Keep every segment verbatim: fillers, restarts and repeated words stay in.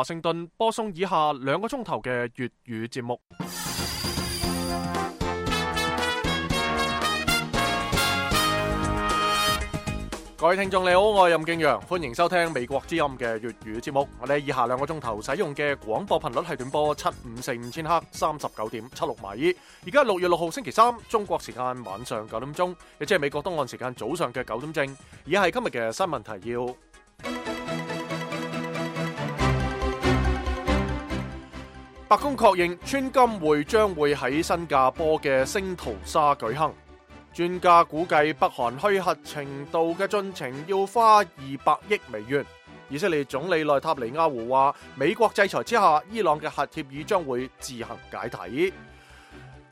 華盛頓播送以下兩個鐘頭嘅粵語節目。各位聽眾你好，我係任敬陽，歡迎收聽美國之音嘅粵語節目。我哋以下兩個鐘頭使用嘅廣播頻率係短波七五四五千赫，三十九點七六米。而家六月六號星期三，中國時間晚上九點鐘，亦即係美國東岸時間早上嘅九點正。以下係今日嘅新聞提要。白宮確認川金會將會喺新加坡嘅聖淘沙舉行。專家估計北韓虛核程度嘅進程要花二百億美元。以色列總理內塔尼亞胡話，美國制裁之下，伊朗嘅核協議將會自行解體。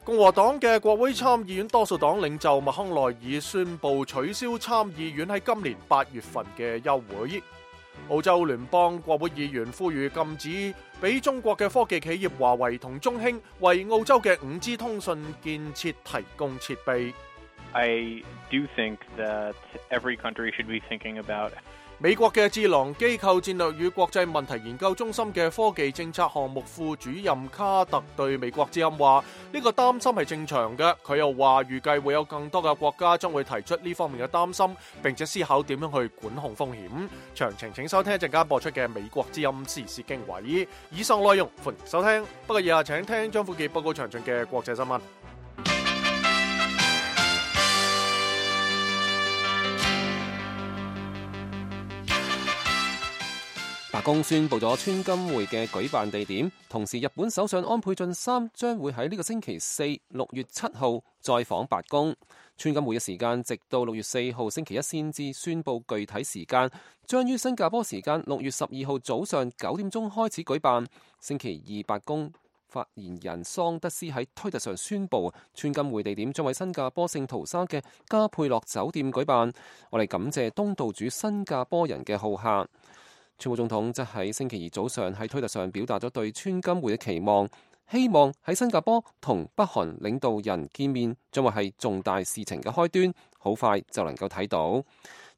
共和黨嘅國會參議院多數黨領袖麥康奈爾宣布取消參議院喺今年八月份嘅休會。澳洲聯邦國會議員呼籲禁止俾中國嘅科技企業華為同中興為澳洲嘅 五 G 通訊建設提供設備。I do think that every country should be thinking about 美國嘅智囊機構戰略與國際問題研究中心嘅科技政策項目副主任卡特對美國之音話：呢個擔心係正常嘅。佢又話預計會有更多嘅國家將會提出呢方面嘅擔心，並且思考點樣去管控風險。詳情請收聽一陣間播出嘅美國之音時事經緯。以上內容歡迎收聽。不過以下請聽張富傑報告詳盡嘅國際新聞。白宮宣布咗川金會嘅舉辦地點，同時日本首相安倍晉三將會喺呢個星期四六月七號再訪白宮。川金會嘅時間直到六月四號星期一先至宣布具體時間，將於新加坡時間六月十二號早上九點鐘開始舉辦。星期二白宮發言人桑德斯喺推特上宣布，川金會地點將喺新加坡聖淘沙嘅加佩洛酒店舉辦。我哋感謝東道主新加坡人嘅好客。川普總統則喺星期二早上喺推特上表達咗對川金會嘅期望，希望喺新加坡同北韓領導人見面將會係重大事情嘅開端，好快就能夠睇到。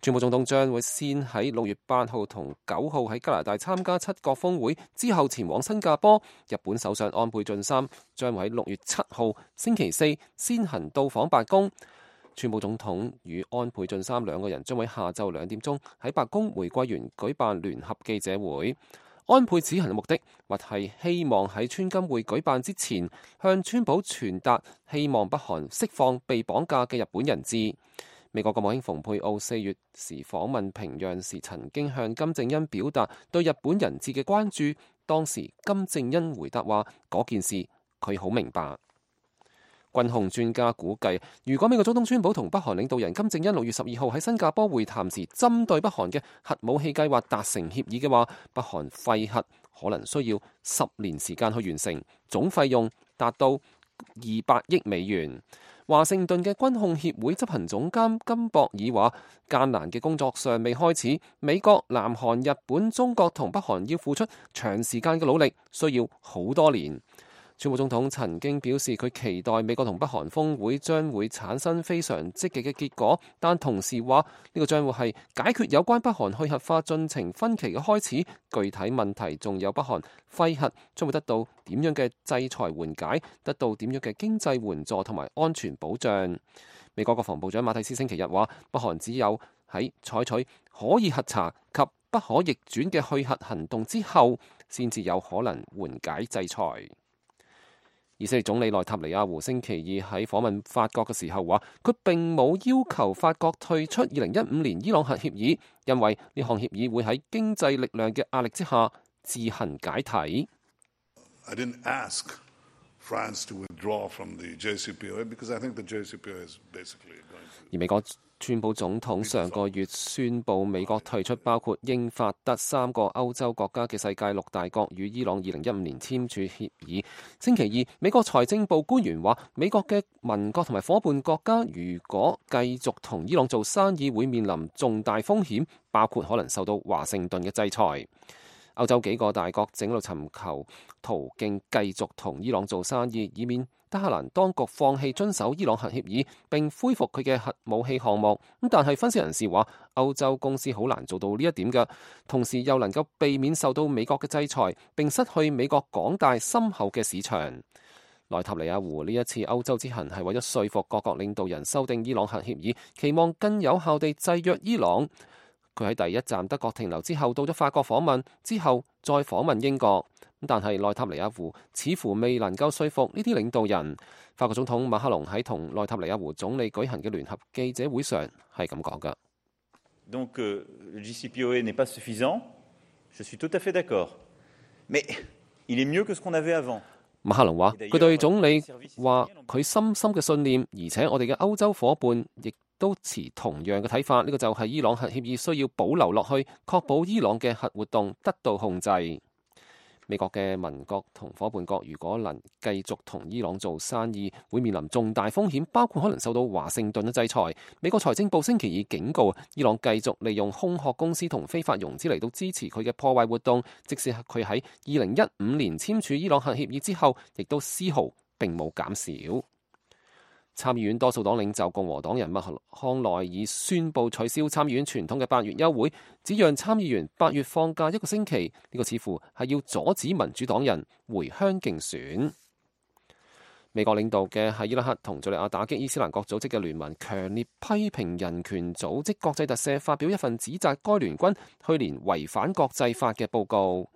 川普總統將會先喺六月八號同九號喺加拿大參加七國峰會，之後前往新加坡。日本首相安倍晉三將會喺六月七號星期四先行到訪白宮。川普總統與安倍晉三兩個人將會下晝兩點鐘喺白宮玫瑰園舉辦聯合記者會。安倍此行嘅目的，或係希望喺川金會舉辦之前，向川普傳達希望北韓釋放被綁架嘅日本人質。美國國務卿蓬佩奧四月時訪問平壤時，曾經向金正恩表達對日本人質嘅關注。當時金正恩回答話，嗰件事佢好明白。軍控專家估計，如果美國總統川普同北韓領導人金正恩六月十二號喺新加坡會談時，針對北韓嘅核武器計劃達成協議嘅話，北韓廢核可能需要十年時間去完成，總費用達到二百億美元。華盛頓嘅軍控協會執行總監金博爾話：艱難嘅工作尚未開始，美國、南韓、日本、中國同北韓要付出長時間嘅努力，需要好多年。川普總統曾經表示，佢期待美國同北韓峰會將會產生非常積極嘅結果，但同時話呢個將會係解決有關北韓去核化進程分歧嘅開始。具體問題仲有北韓廢核將會得到點樣嘅制裁緩解，得到點樣嘅經濟援助同埋安全保障。美國國防部長馬蒂斯星期日話，北韓只有喺採取可以核查及不可逆轉嘅去核行動之後，先至有可能緩解制裁。以色列總理內塔尼亞胡星期二喺訪問法國嘅時候話，佢並冇要求法國退出二零一五年伊朗核協議，因為呢項協議會喺經濟力量嘅壓力之下自行解體。I didn't ask France to withdraw from the J C P O A because I think the J C P O A is basically going to... 而美國川普總統上個月宣布美國退出包括英法德三個歐洲國家嘅世界六大國與伊朗二零一五年簽署協議。星期二，美國財政部官員話，美國嘅盟國同埋伙伴國家如果繼續同伊朗做生意，會面臨重大風險，包括可能受到華盛頓嘅制裁。歐洲幾個大國正喺度尋求途徑繼續同伊朗做生意，以免德黑蘭當局放棄遵守伊朗核協議並恢復佢嘅核武器項目。咁但係分析人士話，歐洲公司好難做到呢一點嘅，同時又能夠避免受到美國嘅制裁，並失去美國廣大深厚嘅市場。內塔尼亞胡呢一次歐洲之行係為咗說服各國領導人修訂伊朗核協議，期望更有效地制約伊朗。佢喺第一站德國停留之後，到咗法國訪問，之後再訪問英國。但係內塔尼亞胡似乎未能夠說服呢啲領導人。法國總統馬克龍喺同內塔尼亞胡總理舉行嘅聯合記者會上係咁講㗎。Donc, euh, le J C P O A n'est pas suffisant. Je suis tout à fait d'accord. Mais il est mieux que ce qu'on avait avant. 馬克龍話：佢對總理話佢深深嘅信念，而且我哋嘅歐洲夥伴亦都持同樣嘅睇法。呢個就係伊朗核協議需要保留落去，確保伊朗嘅核活動得到控制。美國嘅盟國同夥伴國如果能繼續同伊朗做生意，會面臨重大風險，包括可能受到華盛頓嘅制裁。美國財政部星期二警告，伊朗繼續利用空殼公司同非法融資嚟到支持佢嘅破壞活動，即使佢喺二零一五年簽署伊朗核協議之後，亦都絲毫並冇減少。參議院多數黨領袖共和黨人麥康奈爾宣布取消參議院傳統嘅八月休會，只讓參議員八月放假一個星期。呢個似乎係要阻止民主黨人回鄉競選。美國領導嘅喺伊拉克同敘利亞打擊伊斯蘭國組織嘅聯盟強烈批評人權組織國際特赦發表一份指責該聯軍去年違反國際法嘅報告。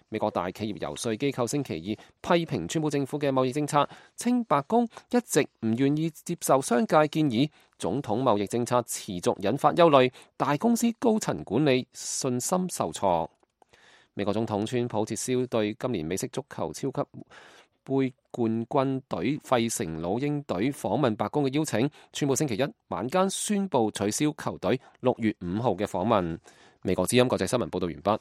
美國大企業遊說機構星期二批評川普政府嘅貿易政策，稱白宮一直唔願意接受商界建議，總統貿易政策持續引發憂慮，大公司高層管理信心受挫。美國總統川普撤銷對今年美式足球超級杯冠軍隊費城老鷹隊訪問白宮嘅邀請，川普星期一晚間宣布取消球隊六月五號嘅訪問。美國之音國際新聞報道完畢。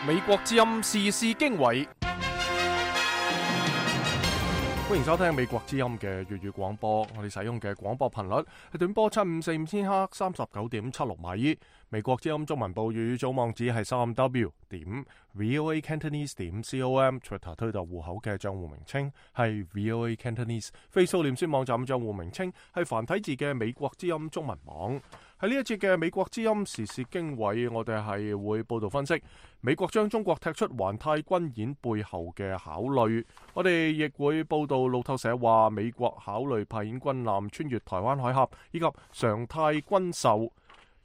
美國之音時事經緯，歡迎收聽美國之音嘅粵語廣播。我哋使用嘅廣播頻率係短波七五四五千赫，三十九點七六米。美國之音中文部粵語組網址係三 w 點 voa cantonese 點 com，Twitter 推特戶口嘅賬戶名稱係 voa cantonese，Facebook 臉書網站賬戶名稱係繁體字嘅美國之音中文網。喺呢一節嘅美國之音時事經緯，我哋係會報道分析美國將中國踢出環太軍演背後嘅考慮。我哋亦會報道路透社話美國考慮派遣軍艦穿越台灣海峽，以及常態軍售。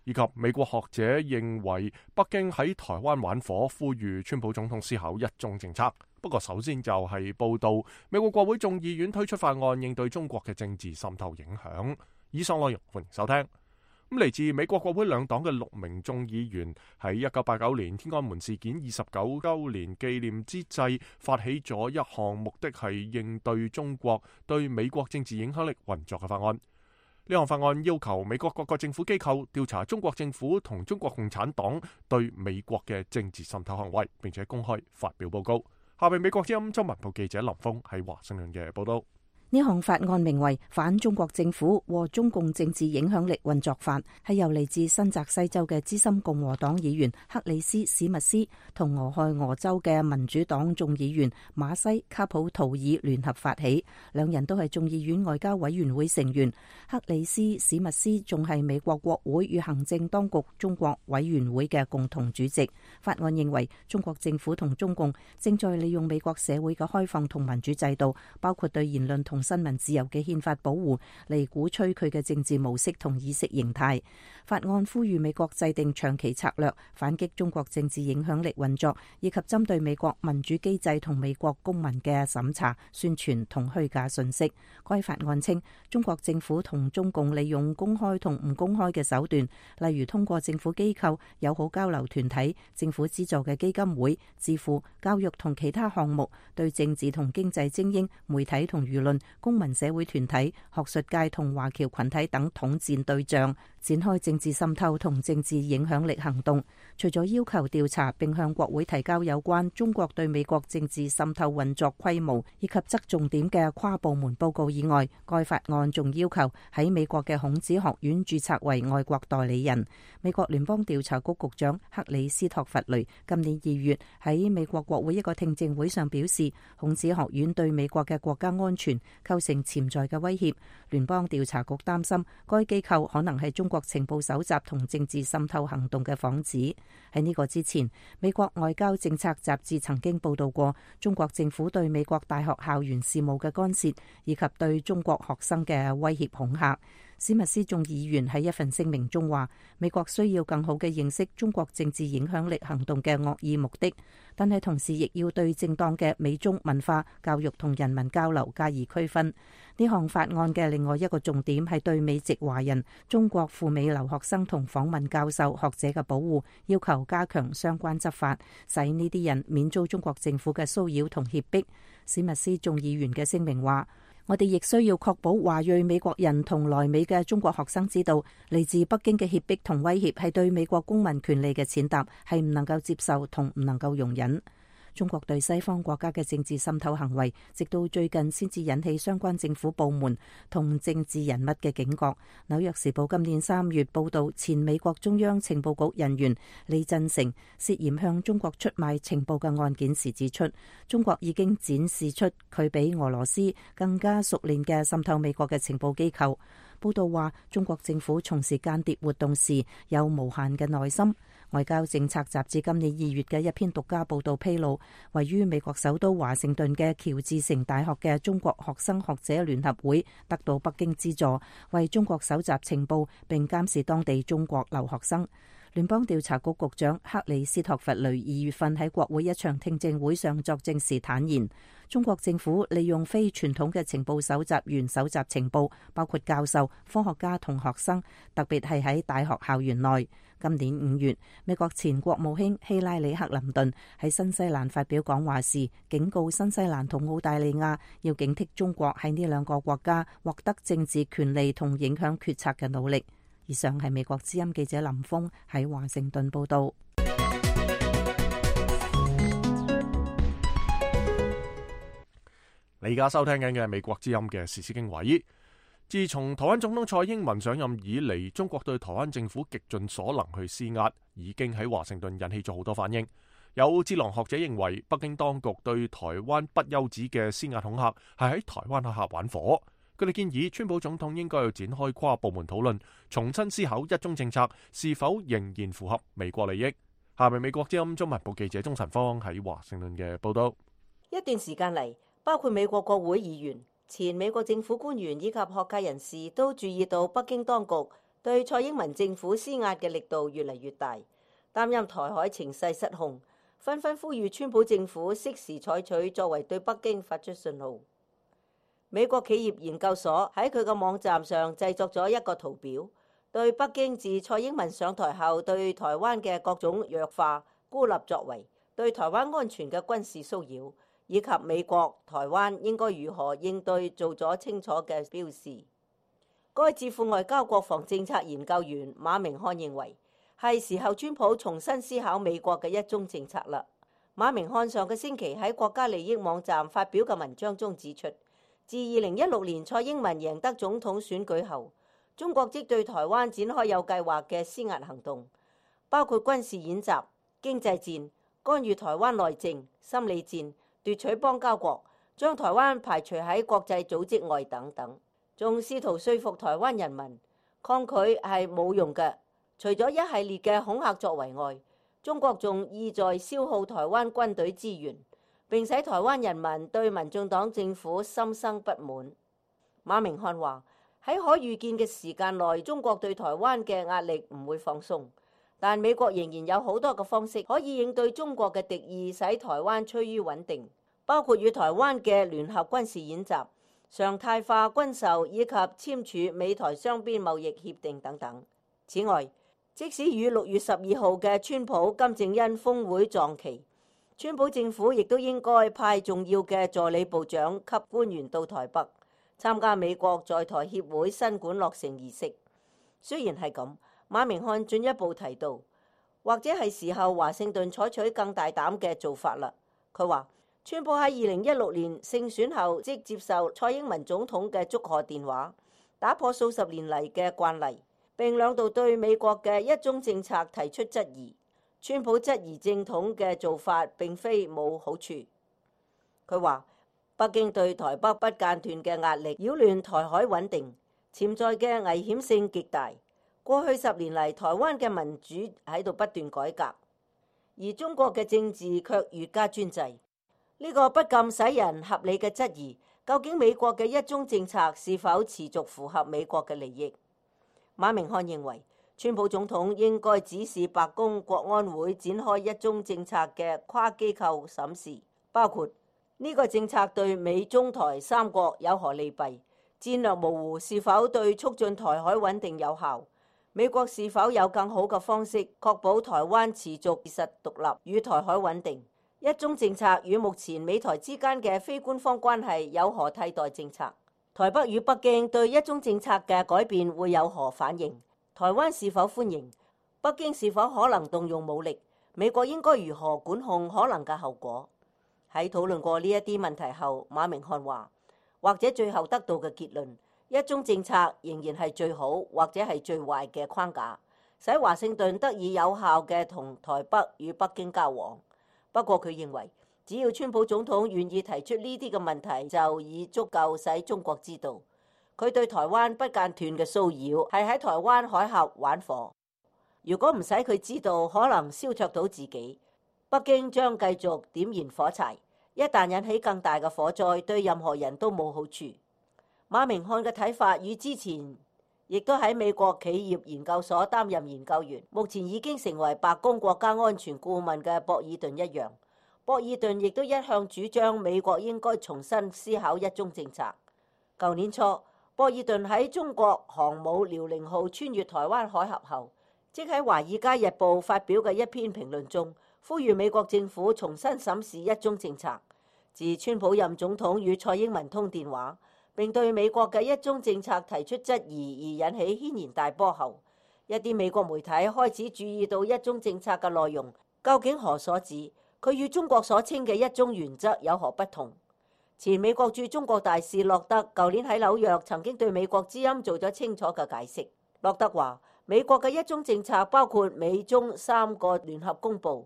以及美國學者認為北京喺台灣玩火，呼籲川普總統思考一中政策。不過首先就係報道美國國會眾議院推出法案應對中國嘅政治滲透影響。以上內容歡迎收聽。咁嚟自美國國會兩黨嘅六名眾議員喺一九八九年天安門事件二十九週年紀念之際，發起咗一項目的係應對中國對美國政治影響力運作嘅法案。呢項法案要求美國各個政府機構調查中國政府同中國共產黨對美國嘅政治滲透行為，並且公開發表報告。下面美國之音中文部記者林峰喺華盛頓嘅報道。呢項法案名為《反中國政府和中共政治影響力運作法》，係由嚟自新澤西州嘅資深共和黨議員克里斯史密斯同俄亥俄州嘅民主黨眾議員馬西卡普圖爾聯合發起，兩人都係眾議院外交委員會成員。克里斯史密斯仲係美國國會與行政當局中國委員會嘅共同主席。法案認為中國政府同中共正在利用美國社會嘅開放同民主制度，包括對言論同新聞自由嘅憲法保護，嚟鼓吹佢嘅政治模式同意識形態。法案呼籲美國制定長期策略，反擊中國政治影響力運作，以及針對美國民主機制同美國公民嘅審查、宣傳同虛假信息。該法案稱，中國政府同中共利用公開同唔公開嘅手段，例如通過政府機構、友好交流團體、政府資助嘅基金會、智庫、教育同其他項目，對政治同經濟精英、媒體同輿論、公民社會團體、學術界同華僑群體等統戰對象，展開政治滲透同政治影響力行動。除咗要求調查並向國會提交有關中國對美國政治滲透運作規模以及側重點嘅跨部門報告以外，該法案仲要求喺美國嘅孔子學院註冊為外國代理人。美國聯邦調查局局長克里斯托弗雷今年二月喺美國國會一個聽證會上表示，孔子學院對美國嘅國家安全構成潛在嘅威脅。聯邦調查局擔心該機構可能係中國情報搜集同政治滲透行動嘅幌子。喺呢個之前，美國外交政策雜誌曾經報道過中國政府對美國大學校園事務嘅干涉，以及對中國學生嘅威脅恐嚇。史密斯眾議員喺一份聲明中話，美國需要更好嘅認識中國政治影響力行動嘅惡意目的，但係同時亦要對正當嘅美中文化教育同人民交流加以區分。呢項法案嘅另外一個重點係對美籍華人、中國赴美留學生同訪問教授、學者嘅保護，要求加強相關執法，使呢啲人免遭中國政府嘅騷擾同脅迫。史密斯眾議員嘅聲明話，我哋亦需要確保華裔美國人同來美嘅中國學生知道，嚟自北京嘅脅迫同威脅係對美國公民權利嘅踐踏，係唔能夠接受同唔能夠容忍。中國對西方國家嘅政治滲透行為，直到最近先至引起相關政府部門同政治人物嘅警覺。紐約時報今年三月報道，前美國中央情報局人員李振成涉嫌向中國出賣情報嘅案件時指出，中國已經展示出佢比俄羅斯更加熟練嘅滲透美國嘅情報機構。報道話，中國政府從事間諜活動時有無限嘅耐心。外交政策雜誌今年二月嘅一篇獨家報道披露，位於美國首都華盛頓嘅喬治城大學嘅中國學生學者聯合會得到北京資助，為中國搜集情報並監視當地中國留學生。聯邦調查局局長克里斯托弗雷二月份喺國會一場聽證會上作證時坦言，中國政府利用非傳統嘅情報搜集員搜集情報，包括教授、科學家同學生，特別係喺大學校園內。今年五月，美國前國務卿希拉里克林頓喺新西蘭發表講話時，警告新西蘭同澳大利亞要警惕中國喺呢兩個國家獲得政治權利同影響決策嘅努力。以上係美國之音記者林峰喺華盛頓報道。你而家收聽緊嘅係美國之音嘅時事經緯。自從台灣總統蔡英文上任以嚟，中國對台灣政府極盡所能去施壓，已經喺華盛頓引起咗好多反應。有智囊學者認為，北京當局對台灣不休止嘅施壓恐嚇係喺台灣海峽玩火。佢哋建議川普總統應該要展開跨部門討論，重新思考一中政策是否仍然符合美國利益。下面美國之音中文部記者鍾晨芳喺華盛頓嘅報道。一段時間嚟，包括美國國會議員、前美國政府官員以及學界人士都注意到北京當局對蔡英文政府施壓嘅力度越嚟越大，擔憂台海情勢失控，紛紛呼籲川普政府適時採取作為對北京發出信號。美國企業研究所喺佢嘅網站上製作咗一個圖表，對北京自蔡英文上台後對台灣嘅各種弱化、孤立作為、對台灣安全嘅軍事騷擾，以及美國、台灣應該如何應對做咗清楚嘅標示。該智庫外交國防政策研究員馬明漢認為，係時候川普重新思考美國嘅一中政策啦。馬明漢上個星期喺國家利益網站發表嘅文章中指出，自二零一六年蔡英文贏得總統選舉後，中國即對台灣展開有計劃嘅施壓行動，包括軍事演習、經濟戰、干預台灣內政、心理戰、奪取邦交國、將台灣排除喺國際組織外等等，仲試圖說服台灣人民抗拒係冇用嘅。除咗一系列嘅恐嚇作為外，中國仲意在消耗台灣軍隊資源，並使台灣人民對民進黨政府心生不滿。馬明漢話，喺可預見嘅時間內，中國對台灣嘅壓力唔會放鬆，但美國仍然有好多個方式可以應對中國嘅敵意，使台灣趨於穩定，包括與台灣嘅聯合軍事演習、常態化軍售以及簽署美台雙邊貿易協定等等。此外，即使與六月十二號嘅川普金正恩峰會撞期，川普政府亦都應該派重要嘅助理部長級官員到台北參加美國在台協會新館落成儀式，雖然係咁，馬明漢進一步提到，或者係時候華盛頓採取更大膽嘅做法啦。佢話，川普喺二零一六年勝選後即接受蔡英文總統嘅祝賀電話，打破數十年嚟嘅慣例，並兩度對美國嘅一中政策提出質疑。川普質疑正統嘅做法並非冇好處。佢話，北京對台北不間斷嘅壓力擾亂台海穩定，潛在嘅危險性極大。過去十年嚟，台灣嘅民主喺度不斷改革，而中國嘅政治卻越加專制。呢個不禁使人合理嘅質疑，究竟美國嘅一中政策是否持續符合美國嘅利益？馬明漢認為，川普總統應該指示白宮國安會展開一中政策嘅跨機構審視，包括呢個政策對美中台三國有何利弊，戰略模糊是否對促進台海穩定有效，美國是否有更好嘅方式確保台灣持續事實獨立與台海穩定，一中政策與目前美台之間嘅非官方關係有何替代政策，台北與北京對一中政策嘅改變會有何反應，台灣是否歡迎？北京是否可能動用武力？美國應該如何管控可能嘅後果？喺討論過呢一啲問題後，馬明漢話，或者最後得到嘅結論，一中政策仍然係最好或者係最壞嘅框架，使華盛頓得以有效嘅同台北與北京交往。不過佢認為，只要川普總統願意提出呢啲嘅問題，就已足夠使中國知道，佢對台灣不間斷嘅騷擾係喺台灣海峽玩火。如果唔使佢知道，可能燒灼到自己，北京將繼續點燃火柴，一旦引起更大嘅火災，對任何人都冇好處。馬明漢嘅睇法與之前亦都喺美國企業研究所擔任研究員，目前已經成為白宮國家安全顧問嘅博爾頓一樣。博爾頓亦都一向主張美國應該重新思考一中政策。舊年初，博爾頓喺中國航母遼寧號穿越台灣海峽後，即喺《華爾街日報》發表嘅一篇評論中，呼籲美國政府重新審視一中政策。自川普任總統與蔡英文通電話，並對美國嘅一中政策提出質疑而引起軒然大波後，一啲美國媒體開始注意到一中政策嘅內容究竟何所指，佢與中國所稱嘅一中原則有何不同？前美國駐中國大使洛德舊年喺紐約曾經對美國之音做咗清楚嘅解釋。洛德話，美國嘅一中政策包括美中三個聯合公報、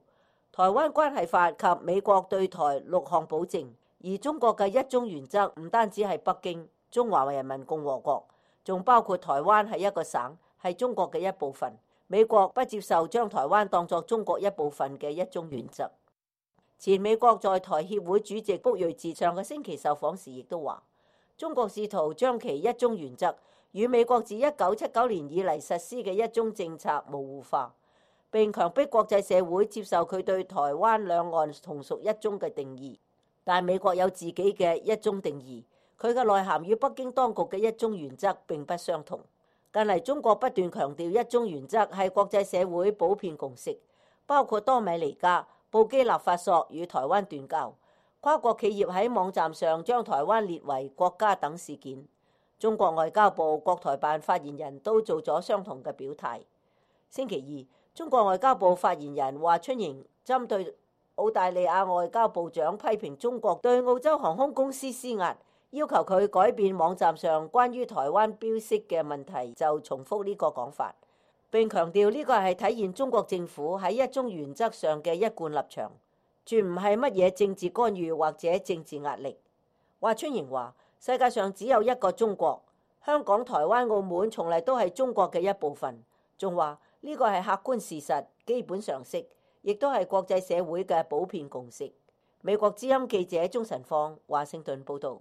台灣關係法及美國對台六項保證，而中國嘅一中原則唔單止係北京、中華人民共和國，仲包括台灣係一個省，係中國嘅一部分。美國不接受將台灣當作中國一部分嘅一中原則。前美國在台協會主席卜瑞哲上個星期受訪時亦都話，中國試圖將其一中原則與美國自一九七九年以嚟實施嘅一中政策模糊化，並強迫國際社會接受佢對台灣兩岸同屬一中嘅定義。但美國有自己嘅一中定義，佢嘅內涵與北京當局嘅一中原則並不相同。近嚟中國不斷強調一中原則係國際社會普遍共識，包括多米尼加、布基納法索與台灣斷交，跨國企業喺網站上將台灣列為國家等事件。中國外交部國台辦發言人都做咗相同嘅表態。星期二，中國外交部發言人華春瑩針對澳大利亞外交部長批評中國對澳洲航空公司施壓，要求佢改變網站上關於台灣標識嘅問題，就重複呢個講法，並強調呢個係體現中國政府喺一中原則上嘅一貫立場，絕唔係乜嘢政治干預或者政治壓力。華春瑩話：世界上只有一個中國，香港、台灣、澳門從嚟都係中國嘅一部分。仲話呢個係客觀事實、基本常識，亦都係國際社會嘅普遍共識。美國之音記者鍾晨放華盛頓報導。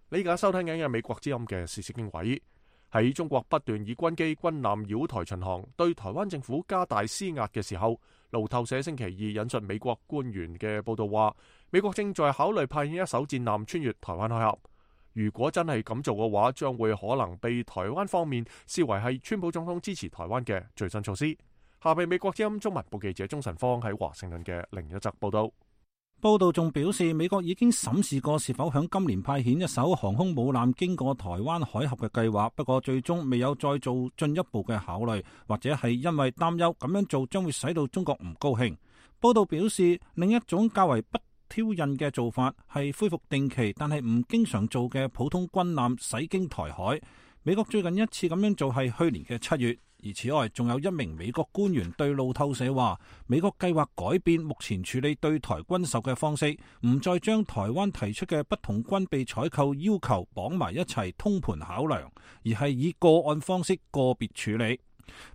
你而家收聽緊嘅美國之音嘅時事經緯。喺中國不斷以軍機軍艦繞台巡航，對台灣政府加大施壓嘅時候，路透社星期二引述美國官員嘅報道話，美國正在考慮派遣一艘戰艦穿越台灣海峽。如果真係咁做嘅話，將會可能被台灣方面視為係川普總統支持台灣嘅最新措施。下邊美國之音中文部記者鍾晨芳喺華盛頓嘅另一則報道。報道仲表示，美國已經審視過是否響今年派遣一艘航空母艦經過台灣海峽嘅計劃，不過最終未有再做進一步嘅考慮，或者係因為擔憂咁樣做將會使到中國唔高興。報道表示，另一種較為不挑釁嘅做法係恢復定期但係唔經常做嘅普通軍艦駛經台海。美國最近一次咁樣做係去年嘅七月。而此外，仲有一名美國官員對路透社話，美國計劃改變目前處理對台軍售嘅方式，唔再將台灣提出嘅不同軍備採購要求綁埋一齊通盤考量，而係以個案方式個別處理。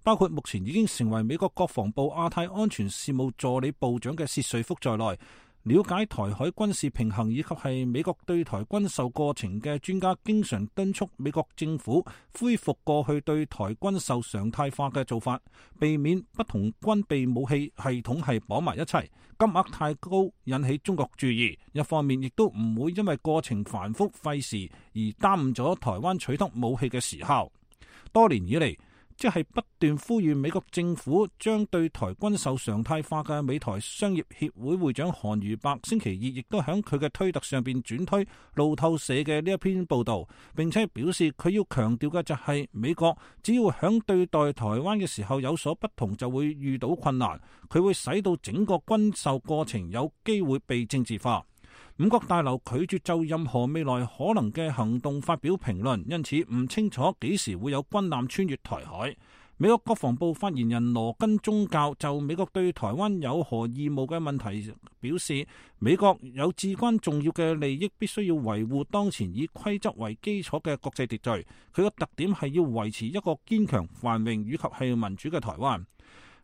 包括目前已經成為美國國防部亞太安全事務助理部長嘅薛瑞福在內，了解台海軍事平衡以及係美國對台軍售過程嘅專家，經常敦促美國政府恢復過去對台軍售常態化嘅做法，避免不同軍備武器系統係綁埋一齊，金額太高引起中國注意。一方面亦都唔會因為過程繁複費時而耽誤咗台灣取得武器嘅時效。多年以嚟，即係不斷呼籲美國政府將對台軍售常態化嘅美台商業協會會長韓如伯星期二亦都喺佢嘅推特上邊轉推路透社嘅呢一篇報道，並且表示佢要強調嘅就係美國只要響對待台灣嘅時候有所不同，就會遇到困難，佢會使到整個軍售過程有機會被政治化。五角大樓拒絕就任何未來可能嘅行動發表評論，因此唔清楚幾時會有軍艦穿越台海。美國國防部發言人羅根宗教就美國對台灣有何義務嘅問題表示，美國有至關重要嘅利益，必須要維護當前以規則為基礎嘅國際秩序。佢個特點係要維持一個堅強、繁榮以及係民主嘅台灣。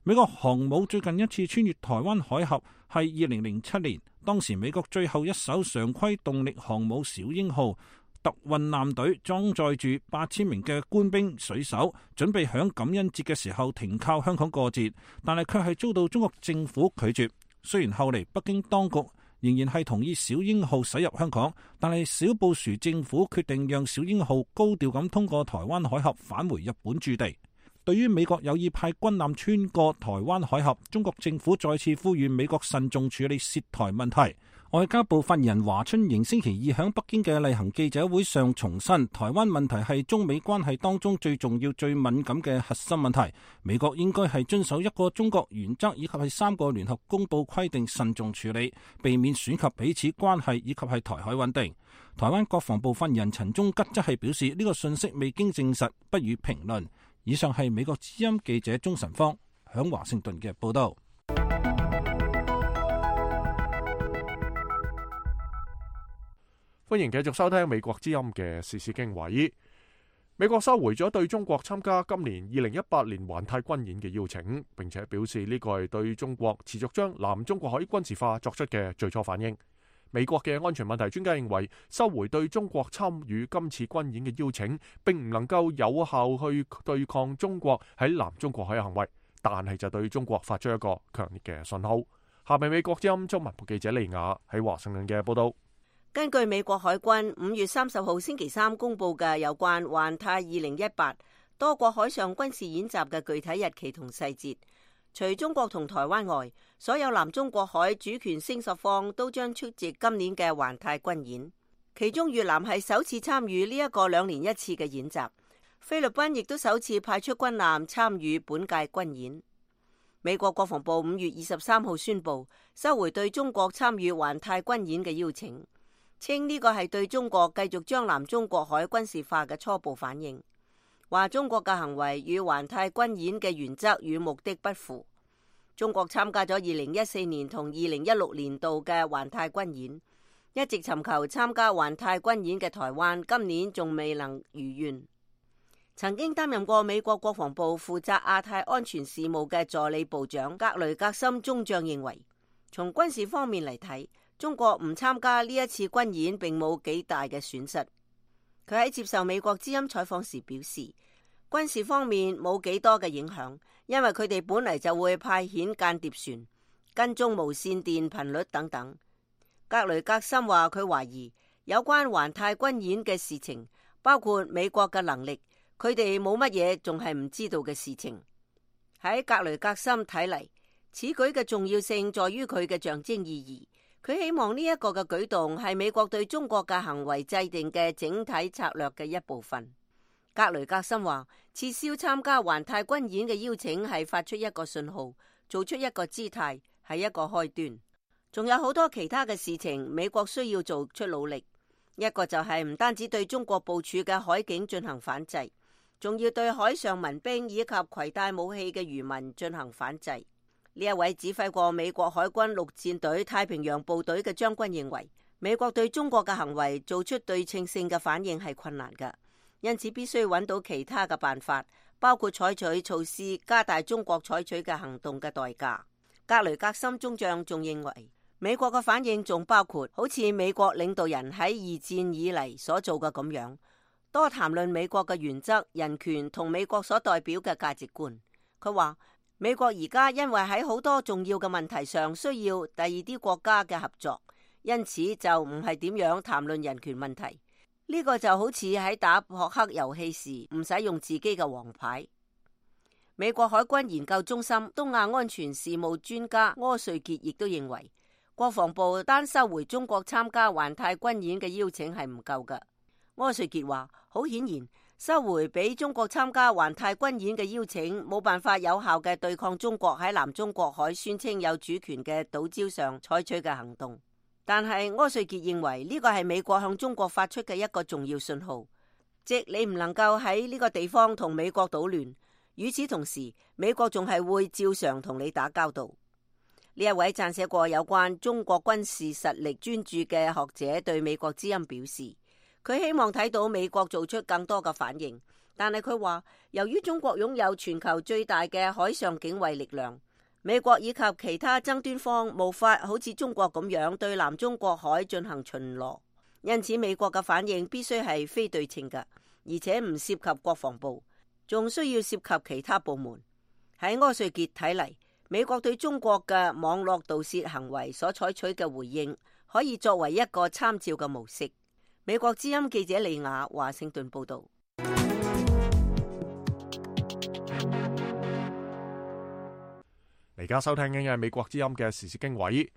美國航母最近一次穿越台灣海峽係二零零七年，當時美國最後一艘常規動力航母小鷹號特運艦隊裝載住八千名嘅官兵水手，準備響感恩節嘅時候停靠香港過節，但係卻係遭到中國政府拒絕。雖然後嚟北京當局仍然係同意小鷹號駛入香港，但係小布殊政府決定讓小鷹號高調咁通過台灣海峽返回日本駐地。對於美國有意派軍艦穿過台灣海峽，中國政府再次呼籲美國慎重處理涉台問題。外交部發言人華春瑩星期二喺北京嘅例行記者會上重申，台灣問題係中美關係當中最重要、最敏感嘅核心問題。美國應該係遵守一個中國原則以及係三個聯合公報規定，慎重處理，避免損及彼此關係以及係台海穩定。台灣國防部發言人陳忠吉則係表示，呢個信息未經證實，不予評論。以上係美國之音記者鍾晨芳響華盛頓嘅報道。歡迎繼續收聽美國之音嘅時事經緯。美國收回咗對中國參加今年二零一八年環太軍演嘅邀請，並且表示呢個係對中國持續將南中國海軍事化作出嘅最初反應。美國嘅安全問題專家認為，收回對中國參與今次軍演嘅邀請，並唔能夠有效去對抗中國喺南中國海嘅行為，但係就對中國發出一個強烈嘅信號。下面美國之音中文部記者利亞喺華盛頓嘅報道。根據美國海軍五月三十號星期三公布嘅有關環太二零一八多國海上軍事演習嘅具體日期同細節，除中國同台灣外，所有南中國海主權聲索方都將出席今年嘅環太軍演。其中越南係首次參與呢一個兩年一次嘅演習，菲律賓亦都首次派出軍艦參與本屆軍演。美國國防部五月二十三號宣布收回對中國參與環太軍演嘅邀請，稱呢個係對中國繼續將南中國海軍事化嘅初步反應，話中國嘅行為與環太軍演嘅原則與目的不符。中國參加咗二零一四年同二零一六年度嘅環太軍演，一直尋求參加環太軍演嘅台灣今年仲未能如願。曾經擔任過美國國防部負責亞太安全事務嘅助理部長格雷格森中將認為，從軍事方面嚟睇，中國唔參加呢一次軍演並冇幾大嘅損失。佢喺接受美國之音採訪時表示，軍事方面冇幾多嘅影響，因為佢哋本嚟就會派遣間諜船、跟蹤無線電頻率等等。格雷格森話佢懷疑有關環太軍演嘅事情，包括美國嘅能力，佢哋冇乜嘢仲係唔知道嘅事情。喺格雷格森睇嚟，此舉嘅重要性在於佢嘅象徵意義。佢希望呢一個嘅舉動係美國對中國嘅行為制定嘅整體策略嘅一部分。格雷格森話，撤銷參加環太軍演嘅邀請係發出一個信號，做出一個姿態，係一個開端。仲有好多其他嘅事情，美國需要做出努力。一個就係唔單止對中國部署嘅海警進行反制，仲要對海上民兵以及攜帶武器嘅漁民進行反制。呢一位指揮過美國海軍陸戰隊太平洋部隊嘅將軍認為，美國對中國嘅行為做出對稱性嘅反應係困難㗎，因此必須揾到其他嘅辦法，包括採取措施加大中國採取嘅行動嘅代價。格雷格森中將仲認為，美國嘅反應仲包括好似美國領導人喺二戰以嚟所做嘅咁樣，多談論美國嘅原則、人權同美國所代表嘅價值觀。佢話美國而家因為喺好多重要嘅問題上需要第二啲國家嘅合作，因此就唔係點樣談論人權問題。呢個就好似喺打撲克遊戲時唔使用自己嘅王牌。美國海軍研究中心東亞安全事務專家柯瑞傑亦都認為，國防部單收回中國參加環太軍演嘅邀請係唔夠㗎。柯瑞傑話，好顯然，收回俾中國參加環太軍演嘅邀請，冇辦法有效嘅對抗中國喺南中國海宣稱有主權嘅島礁上採取嘅行動。但係柯瑞傑認為呢個係美國向中國發出嘅一個重要信號，即你唔能夠喺呢個地方同美國搗亂。與此同時，美國仲係會照常同你打交道。呢一位撰寫過有關中國軍事實力專著嘅學者對美國之音表示，佢希望睇到美國做出更多嘅反應，但係佢話，由於中國擁有全球最大嘅海上警衛力量，美國以及其他爭端方無法好似中國咁樣對南中國海進行巡邏，因此美國嘅反應必須係非對稱嘅，而且唔涉及國防部，仲需要涉及其他部門。喺柯瑞傑睇嚟，美國對中國嘅網絡盜竊行為所採取嘅回應，可以作為一個參照嘅模式。美國之音記者李雅華盛頓報道。而家收聽緊嘅係美國之音嘅時事經緯。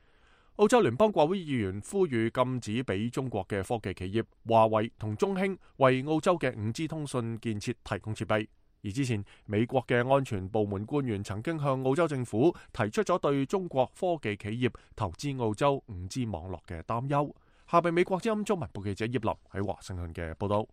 澳洲聯邦國會議員呼籲禁止俾中國嘅科技企業華為同中興為澳洲嘅五 G 通訊建設提供設備。而之前美國嘅安全部門官員曾經向澳洲政府提出咗對中國科技企業投資澳洲五 G 網絡嘅擔憂。下邊美國之音中文部記者葉林喺華盛頓嘅報道。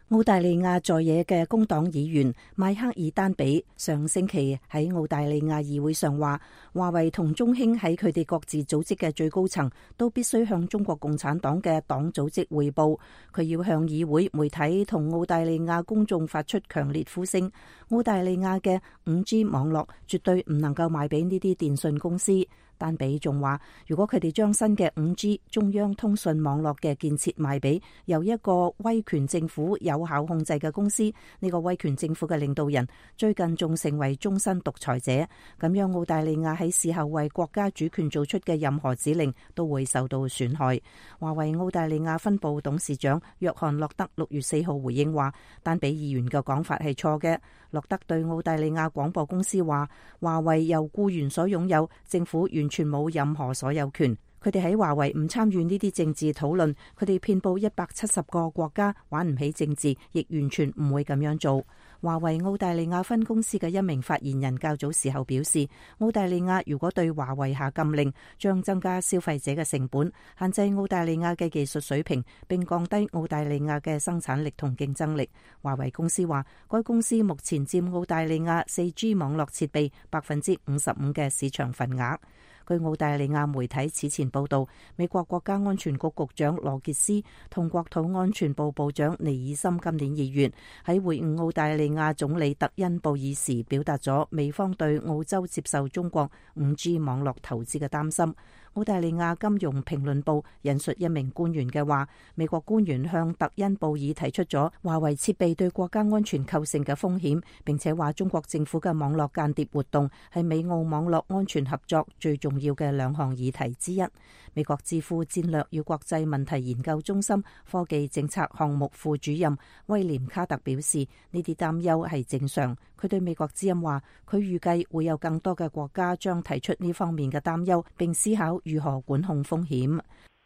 澳大利亞在野嘅工黨議員邁克爾丹比上星期喺澳大利亞議會上話，華為同中興喺佢哋各自組織嘅最高層都必須向中國共產黨嘅黨組織匯報。佢要向議會、媒體同澳大利亞公眾發出強烈呼聲。澳大利亞嘅五 G 網絡絕對唔能夠賣俾呢啲電信公司。丹比仲話，如果佢哋將新嘅五 G 中央通訊網絡嘅建設賣俾由一個威權政府有效控制嘅公司，呢、這個威權政府嘅領導人最近仲成為終身獨裁者，咁樣澳大利亞喺事後為國家主權做出嘅任何指令都會受到損害。華為澳大利亞分部董事長約翰洛德六月四號回應話，丹比議員嘅講法係錯嘅。洛德對澳大利亞廣播公司話，華為由僱員所擁有，政府完全冇任何所有權。佢哋喺華為唔參與呢啲政治討論，佢哋遍佈一百七十個國家，玩唔起政治，亦完全唔會咁樣做。華為澳大利亞分公司嘅一名發言人較早時候表示，澳大利亞如果對華為下禁令，將增加消費者嘅成本，限制澳大利亞嘅技術水平，並降低澳大利亞嘅生產力同競爭力。華為公司話，該公司目前佔澳大利亞 四 G 網絡設備百分之五十五嘅市場份額。據澳大利亞媒體此前報道，美國國家安全局局長羅傑斯同國土安全部部長尼爾森今年二月喺會晤澳大利亞總理特恩布爾時，表達咗美方對澳洲接受中國五 G 網絡投資嘅擔心。澳大利亞金融評論報引述一名官員嘅話，美國官員向特恩布爾提出咗華為設備對國家安全構成嘅風險，並且話中國政府嘅網絡間諜活動係美澳網絡安全合作最重要嘅兩項議題之一。美國智庫戰略與國際問題研究中心科技政策項目副主任威廉卡特表示，呢啲擔憂係正常。佢對美國之音話，佢預計會有更多嘅國家將提出呢方面嘅擔憂，並思考如何管控風險。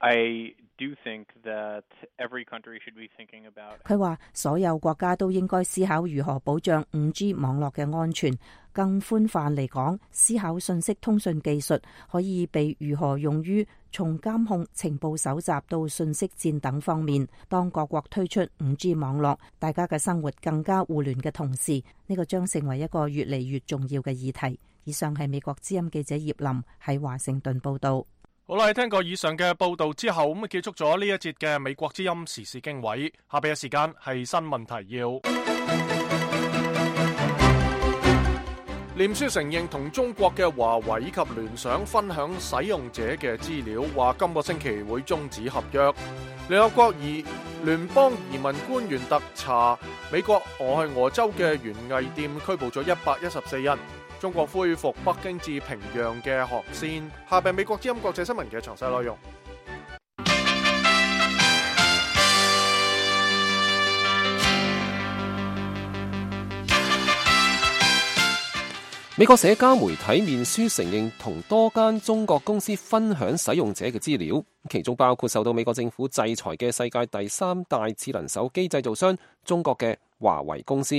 I do think that every country should be thinking about. 佢話所有國家都應該思考如何保障 五 G 網絡嘅安全。更寬泛嚟講，思考信息通訊技術可以被如何用於從監控、情報搜集到信息戰等方面。當各國推出 五 G 網絡，大家嘅生活更加互聯嘅同時，呢個將成為一個越嚟越重要嘅議題。以上係美國之音記者葉林喺華盛頓報道。好啦，聽過以上嘅報道之後，咁啊結束咗呢一節嘅美國之音時事經緯。下邊嘅時間係新聞提要。臉書承認同中國嘅華為以及聯想分享使用者嘅資料，話今個星期會終止合約。聯合國移聯邦移民官員特查美國俄亥俄州嘅園藝店，拘捕咗一百一十四人。中國恢復北京至平壤嘅航線。下邊美國之音國際新聞嘅詳細內容。美國社交媒體面書承認同多間中國公司分享使用者嘅資料，其中包括受到美國政府制裁嘅世界第三大智能手機製造商中國嘅華為公司。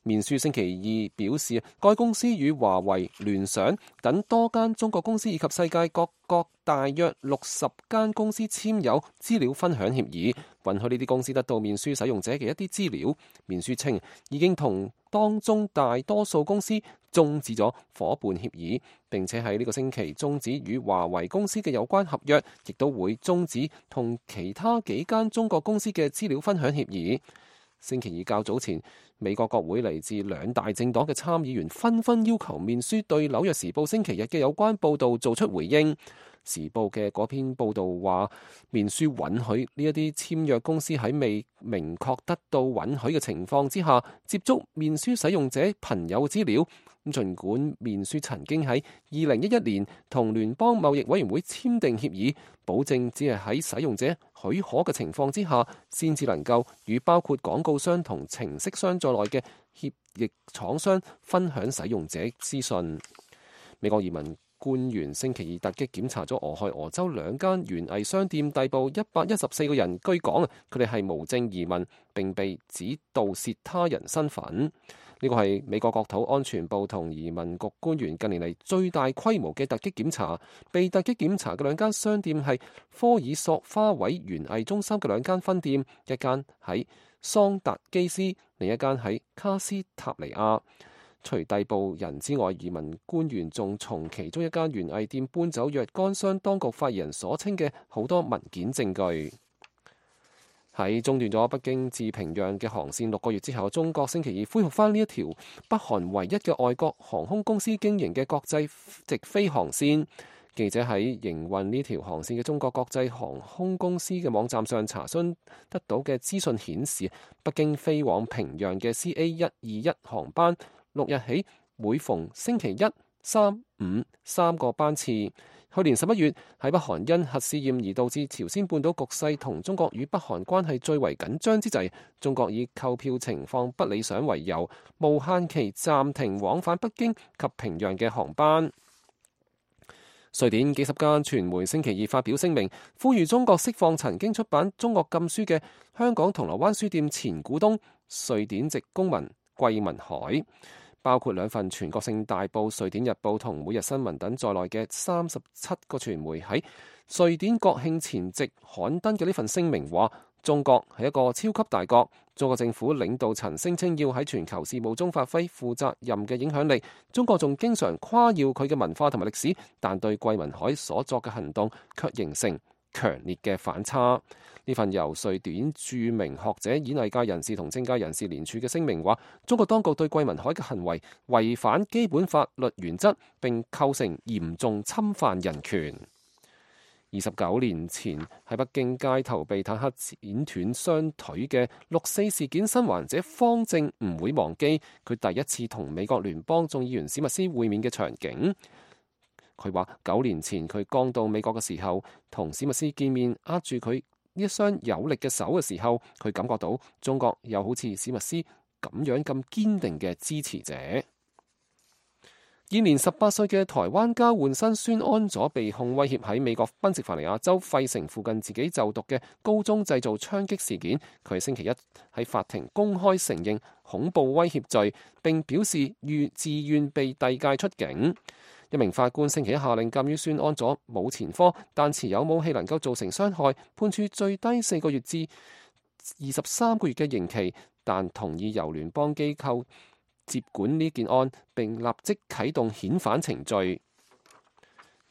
面書星期二表示，該公司與華為、聯想等多間中國公司以及世界各國大約六十間公司簽有資料分享協議，允許呢啲公司得到面書使用者嘅一啲資料。面書稱已經同當中大多數公司終止咗夥伴協議，並且喺呢個星期終止與華為公司嘅有關合約，亦都會終止同其他幾間中國公司嘅資料分享協議。星期二較早前，美國國會嚟自兩大政黨嘅參議員紛紛要求面書對紐約時報星期日嘅有關報導做出回應。時報嘅嗰篇報導話，面書允許呢一啲簽約公司喺未明確得到允許嘅情況之下，接觸面書使用者朋友嘅資料。咁儘管面書曾經喺二零一一年同聯邦貿易委員會簽訂協議，保證只係喺使用者許可嘅情況之下，先至能夠與包括廣告商同程式商在內嘅協議廠商分享使用者資訊。美國移民官員星期二突擊檢查咗俄亥俄州兩間園藝商店，逮捕一百一十四個人，據講佢哋係無證移民，並被指盜竊他人身份。呢個係美國國土安全部同移民局官員近年嚟最大規模嘅突擊檢查。被突擊檢查嘅兩間商店係科爾索花卉園藝中心嘅兩間分店，一間喺桑達基斯，另一間喺卡斯塔尼亞。除逮捕人之外，移民官員仲從其中一間園藝店搬走若干箱當局發言人所稱嘅好多文件證據。喺中斷咗北京至平壤嘅航線六個月之後，中國星期二恢復返呢一條北韓唯一嘅外國航空公司經營嘅國際直飛航線。記者喺營運呢條航線嘅中國國際航空公司嘅網站上查詢得到嘅資訊顯示，北京飛往平壤嘅 C A 一二一航班六日起每逢星期一、三、五三個班次。去年十一月喺北韓因核試驗而導致朝鮮半島局勢同中國與北韓關係最為緊張之際，中國以購票情況不理想為由，無限期暫停往返北京及平壤嘅航班。瑞典幾十間傳媒星期二發表聲明，呼籲中國釋放曾經出版中國禁書嘅香港銅鑼灣書店前股東瑞典籍公民桂民海。包括兩份全國性大報《瑞典日報》同《每日新聞》等在內嘅三十七個傳媒喺瑞典國慶前夕刊登嘅呢份聲明話，中國係一個超級大國，中國政府領導層聲稱要喺全球事務中發揮負責任嘅影響力，中國仲經常誇耀佢嘅文化同埋歷史，但對桂民海所作嘅行動卻形成強烈嘅反差。呢份由瑞典著名學者、演藝界人士同政界人士聯署嘅聲明話，中國當局對桂民海嘅行為違反基本法律原則，並構成嚴重侵犯人權。二十九年前喺北京街頭被坦克剪斷雙腿嘅六四事件生還者方正唔會忘記佢第一次同美國聯邦眾議員史密斯會面嘅場景。佢話九年前佢剛到美國嘅時候，同史密斯見面，握住佢呢一雙有力嘅手嘅時候，佢感覺到中國有好似史密斯咁樣咁堅定嘅支持者。現年十八歲嘅台灣交換生孫安佐被控威脅喺美國賓夕法尼亞州費城附近自己就讀嘅高中製造槍擊事件，佢星期一喺法庭公開承認恐怖威脅罪，並表示願自願被遞解出境。一名法官星期一下令鑑於孫安佐冇前科，但持有武器能夠造成傷害，判處最低四個月至二十三個月嘅刑期，但同意由聯邦機構接管呢件案，並立即啟動遣返程序。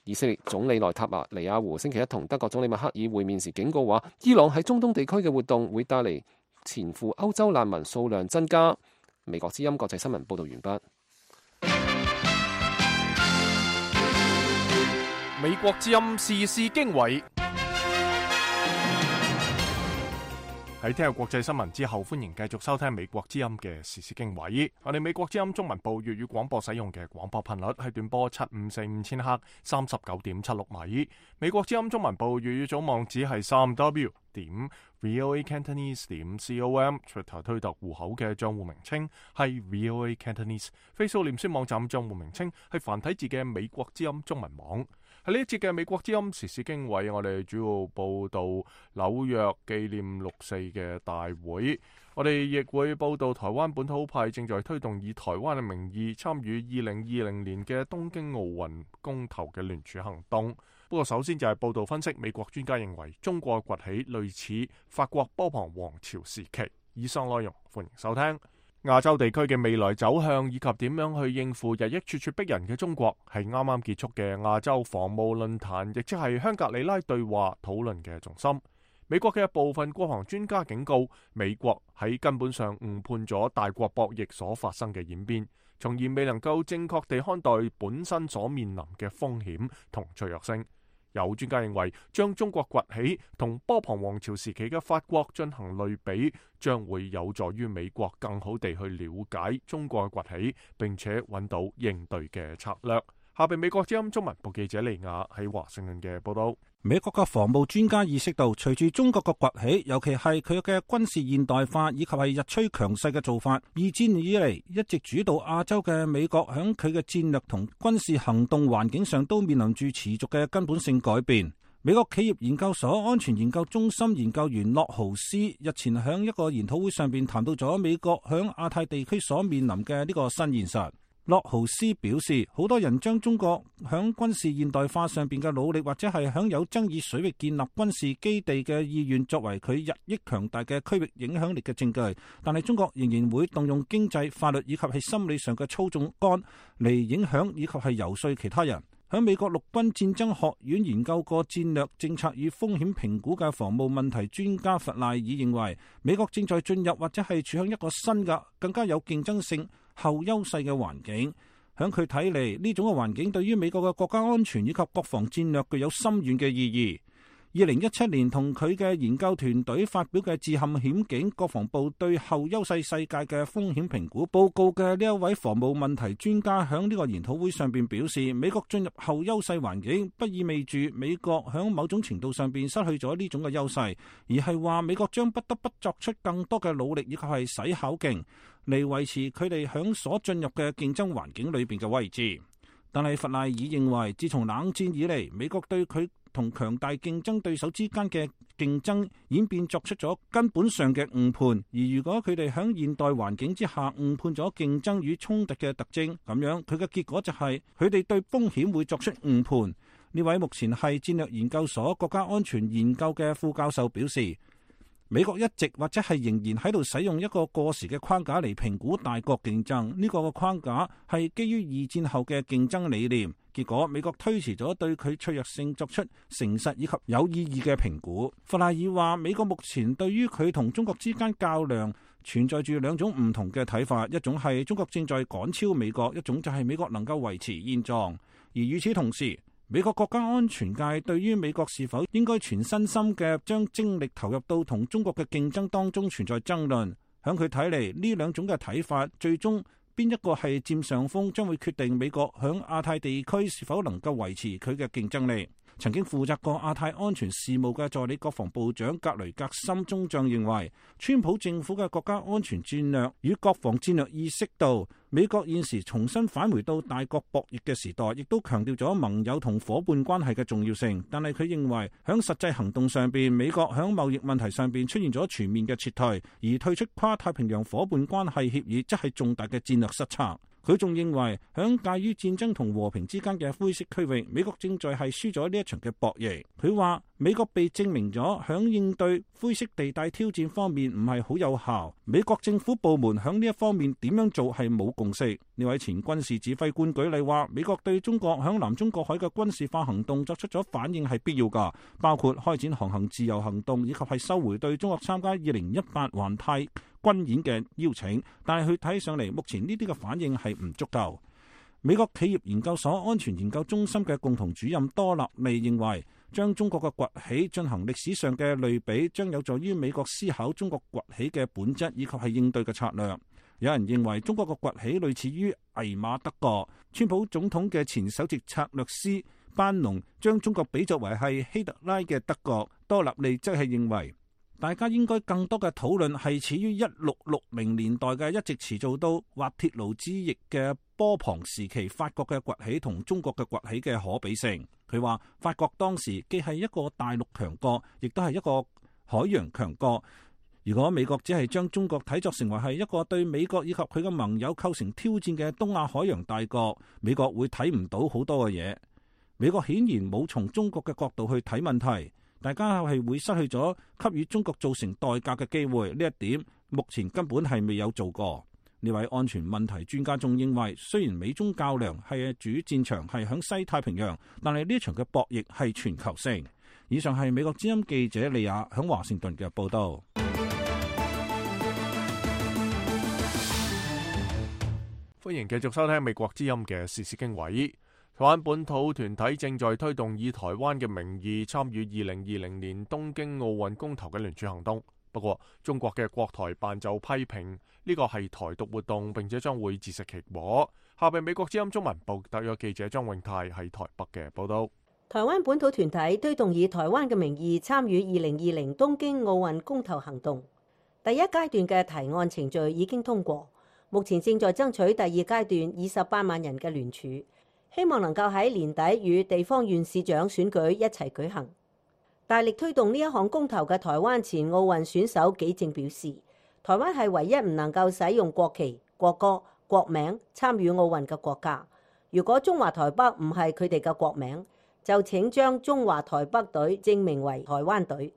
以色列總理內塔尼亞胡星期一同德國總理默克爾會面時警告話，伊朗喺中東地區嘅活動會帶嚟前赴歐洲難民數量增加。美國之音國際新聞報道完畢。美國之音時事經緯。喺聽日國際新聞之後，歡迎繼續收聽美國之音嘅時事經緯。我哋美國之音中文部粵語廣播使用嘅廣播頻率係短波七五四五千赫，三十九點七六米。美國之音中文部粵語總網址係三 w 點 voa cantonese 點 com。Twitter 推特戶口嘅賬戶名稱係 voa cantonese。Facebook 臉書網站賬戶名稱係繁體字嘅美國之音中文網。喺呢一節嘅美國之音時事經緯，我哋主要報道紐約紀念六四嘅大會，我哋亦會報道台灣本土派正在推動以台灣嘅名義參與二零二零年嘅東京奧運公投嘅聯署行動。不過首先就係報道分析，美國專家認為中國崛起類似法國波旁王朝時期。以上內容歡迎收聽。亞洲地區嘅未來走向以及點樣去應付日益咄咄逼人嘅中國，係啱啱結束嘅亞洲防務論壇，亦即係香格里拉對話討論嘅重心。美國嘅部分國防專家警告，美國喺根本上誤判咗大國博弈所發生嘅演變，從而未能夠正確地看待本身所面臨嘅風險同脆弱性。有專家認為，將中國崛起同波旁王朝時期嘅法國進行類比，將會有助於美國更好地去了解中國嘅崛起，並且揾到應對嘅策略。下邊美國之音中文部記者利亞喺華盛頓嘅報道。美國嘅防務專家意識到，隨住中國嘅崛起，尤其係佢嘅軍事現代化以及係日趨強勢嘅做法，二戰以嚟一直主導亞洲嘅美國響佢嘅戰略同軍事行動環境上都面臨住持續嘅根本性改變。美國企業研究所安全研究中心研究員洛豪斯日前響一個研討會上邊談到咗美國響亞太地區所面臨嘅呢個新現實。洛豪斯表示，好多人將中國響軍事現代化上邊嘅努力，或者係響有爭議水域建立軍事基地嘅意願，作為佢日益強大嘅區域影響力嘅證據。但係中國仍然會動用經濟、法律以及係心理上嘅操縱桿嚟影響以及係游說其他人。響美國陸軍戰爭學院研究過戰略政策與風險評估嘅防務問題專家弗賴爾認為，美國正在進入或者係處向一個新嘅、更加有競爭性後優勢嘅環境。響佢睇嚟，呢種嘅環境對於美國嘅國家安全以及國防戰略具有深遠嘅意義。二零一七年同佢嘅研究團隊發表嘅《致陷險境：國防部對後優勢世界嘅風險評估》報告嘅呢一位防務問題專家響呢個研討會上邊表示，美國進入後優勢環境不意味住美國響某種程度上邊失去咗呢種嘅優勢，而係話美國將不得不作出更多嘅努力以及係使巧勁嚟維持佢哋響所進入嘅競爭環境裏邊嘅位置。但係弗賴爾認為，自從冷戰以嚟，美國對佢同強大競爭對手之間嘅競爭演變作出咗根本上嘅誤判，而如果佢哋喺現代環境之下誤判咗競爭與衝突嘅特徵，咁樣佢嘅結果就係佢哋對風險會作出誤判。呢位目前係戰略研究所國家安全研究嘅副教授表示，美國一直或者係仍然喺度使用一個過時嘅框架嚟評估大國競爭，呢個嘅框架係基於二戰後嘅競爭理念。結果美國推遲咗對佢脆弱性作出誠實以及有意義嘅評估。弗賴爾話，美國目前對於佢同中國之間較量存在住兩種唔同嘅睇法，一種係中國正在趕超美國，一種就係美國能夠維持現狀。而與此同時，美國國家安全界對於美國是否應該全身心嘅將精力投入到同中國嘅競爭當中存在爭論。響佢睇嚟，呢兩種嘅睇法最終邊一個係佔上風，將會決定美國響亞太地區是否能夠維持佢嘅競爭力。曾經負責過亞太安全事務嘅助理國防部長格雷格森中將認為，川普政府嘅國家安全戰略與國防戰略意識到美國現時重新返回到大國博弈嘅時代，亦都強調咗盟友同伙伴關係嘅重要性。但係佢認為響實際行動上邊，美國響貿易問題上邊出現咗全面嘅撤退，而退出跨太平洋伙伴關係協議則係重大嘅戰略失策。佢仲認為，響介於戰爭同和平之間嘅灰色區域，美國正在係輸咗呢一場嘅博弈。佢話美國被證明咗響應對灰色地帶挑戰方面唔係好有效，美國政府部門響呢一方面點樣做係冇共識。呢位前軍事指揮官舉例話，美國對中國響南中國海嘅軍事化行動作出咗反應係必要㗎，包括開展航行自由行動，以及係收回對中國參加二零一八環太軍演嘅邀請，但係佢睇上嚟，目前呢啲嘅反應係唔足夠。美國企業研究所安全研究中心嘅共同主任多納利認為，將中國嘅崛起進行歷史上嘅類比，將有助於美國思考中國崛起嘅本質以及係應對嘅策略。有人認為中國嘅崛起類似於魏瑪德國，川普總統嘅前首席策略師班農將中國比作為係希特拉嘅德國。多納利則係認為，大家應該更多嘅討論係始於一六六零年代嘅一直持續到滑鐵盧之役嘅波旁時期法國嘅崛起同中國嘅崛起嘅可比性。佢話法國當時既係一個大陸強國，亦都係一個海洋強國。如果美國只係將中國睇作成為係一個對美國以及佢嘅盟友構成挑戰嘅東亞海洋大國，美國會睇唔到好多嘅嘢。美國顯然冇從中國嘅角度去睇問題。大家係會失去咗給予中國造成代價嘅機會，呢一點目前根本係未有做過。呢位安全問題專家仲認為，雖然美中較量係主戰場係響西太平洋，但係呢場嘅博弈係全球性。以上係美國之音記者利亞響華盛頓嘅報道。歡迎繼續收聽美國之音嘅時事經緯。台灣本土團體正在推動以台灣嘅名義參與二零二零年東京奧運公投嘅聯署行動。不過，中國嘅國台辦就批評呢個係台獨活動，並且將會自食其果。下邊美國之音中文部特約記者張永泰喺台北嘅報道。台灣本土團體推動以台灣嘅名義參與二零二零東京奧運公投行動。第一階段嘅提案程序已經通過，目前正在爭取第二階段二十八萬人嘅聯署。希望能夠喺年底與地方縣市長選舉一齊舉行。大力推動呢一項公投嘅台灣前奧運選手紀政表示，台灣係唯一唔能夠使用國旗、國歌、國名參與奧運嘅國家。如果中華台北唔係佢哋嘅國名，就請將中華台北隊正名為台灣隊。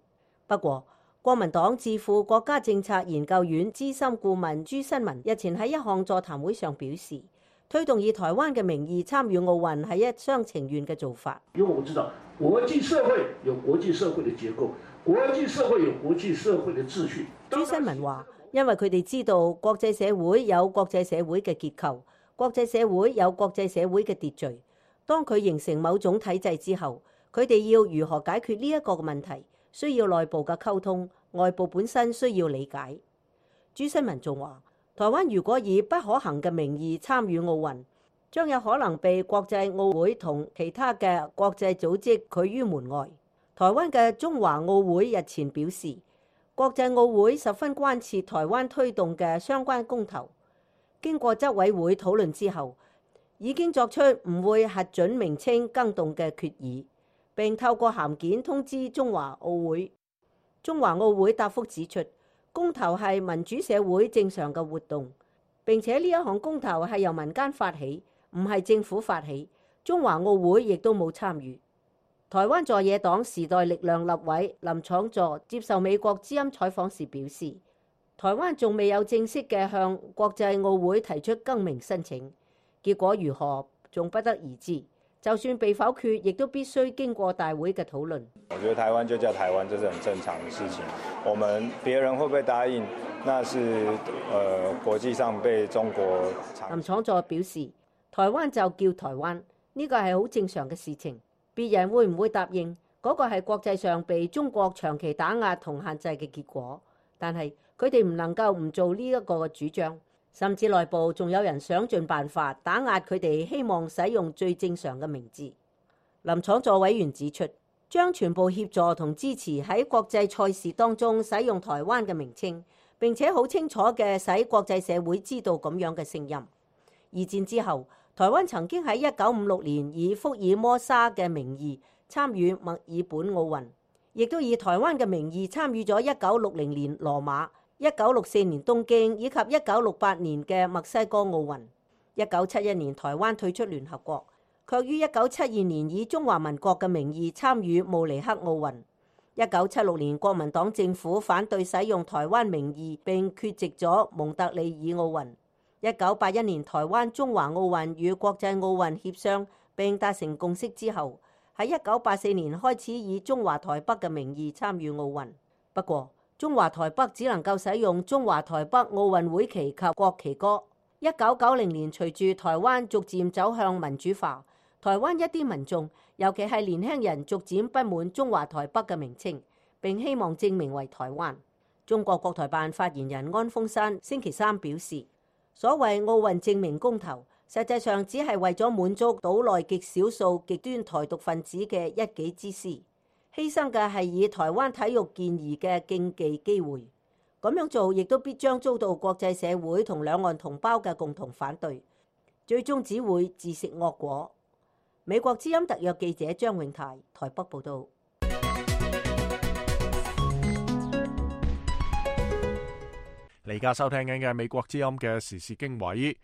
不過，國民黨智庫國家政策研究院資深顧問朱新民日前喺一項座談會上表示，推動以台灣嘅名義參與奧運係一廂情願嘅做法。因為我知道國際社會有國際社會嘅結構，國際社會有國際社會嘅秩序。朱新民話，因為佢哋知道國際社會有國際社會嘅結構，國際社會有國際社會嘅秩序。當佢形成某種體制之後，佢哋要如何解決呢一個問題，需要內部嘅溝通，外部本身需要理解。朱新民仲話，台灣如果以不可行嘅名義參與奧運，將有可能被國際奧會同其他嘅國際組織拒於門外。台灣嘅中華奧會日前表示，國際奧會十分關切台灣推動嘅相關公投，經過執委會討論之後，已經作出唔會核准名稱更動嘅決議，並透過函件通知中華奧會。中華奧會答覆指出，公投係民主社會正常嘅活動，並且呢一項公投係由民間發起，唔係政府發起。中華奧會亦都冇參與。台灣在野黨時代力量立委林昶佐接受美國之音採訪時表示，台灣仲未有正式嘅向國際奧會提出更名申請，結果如何仲不得而知。就算被否決，亦都必須經過大會嘅討論。我覺得台灣就叫台灣，這是很正常的事情。我們別人會不會答應，那是呃國際上被中國。林昶佐表示，台灣就叫台灣，呢個係好正常嘅事情。別人會唔會答應，嗰個係國際上被中國長期打壓同限制嘅結果。但係佢哋唔能夠唔做呢一個嘅主張。甚至內部仲有人想盡辦法打壓佢哋，希望使用最正常嘅名字。林昶佐委員指出，將全部協助同支持喺國際賽事當中使用台灣嘅名稱，並且好清楚嘅使國際社會知道咁樣嘅聲音。二戰之後，台灣曾經喺一九五六年以福爾摩沙嘅名義參與墨爾本奧運，亦都以台灣嘅名義參與咗一九六零年羅馬、一九六四年東京以及一九六八年嘅墨西哥奧運。一九七一年台灣退出聯合國，卻於一九七二年以中華民國嘅名義參與慕尼黑奧運。一九七六年國民黨政府反對使用台灣名義並缺席咗蒙特利爾奧運。一九八一年台灣中華奧運與國際奧運協商並達成共識之後，喺一九八四年開始以中華台北嘅名義參與奧運。不過中華台北只能夠使用中華台北奧運會旗及國旗歌。一九九零年隨住台灣逐漸走向民主化，台灣一啲民眾，尤其係年輕人，逐漸不滿中華台北嘅名稱，並希望正名為台灣。中國國台辦發言人安峰山星期三表示，所謂奧運正名公投，實際上只係為咗滿足島內極少數極端台獨分子嘅一己之私，犧牲嘅係以台灣體育健兒嘅競技機會。咁樣做亦都必將遭到國際社會同兩岸同胞嘅共同反對，最終只會自食惡果。美國之音特約記者張永泰台北報道。你而家收聽緊嘅美國之音嘅時事經緯。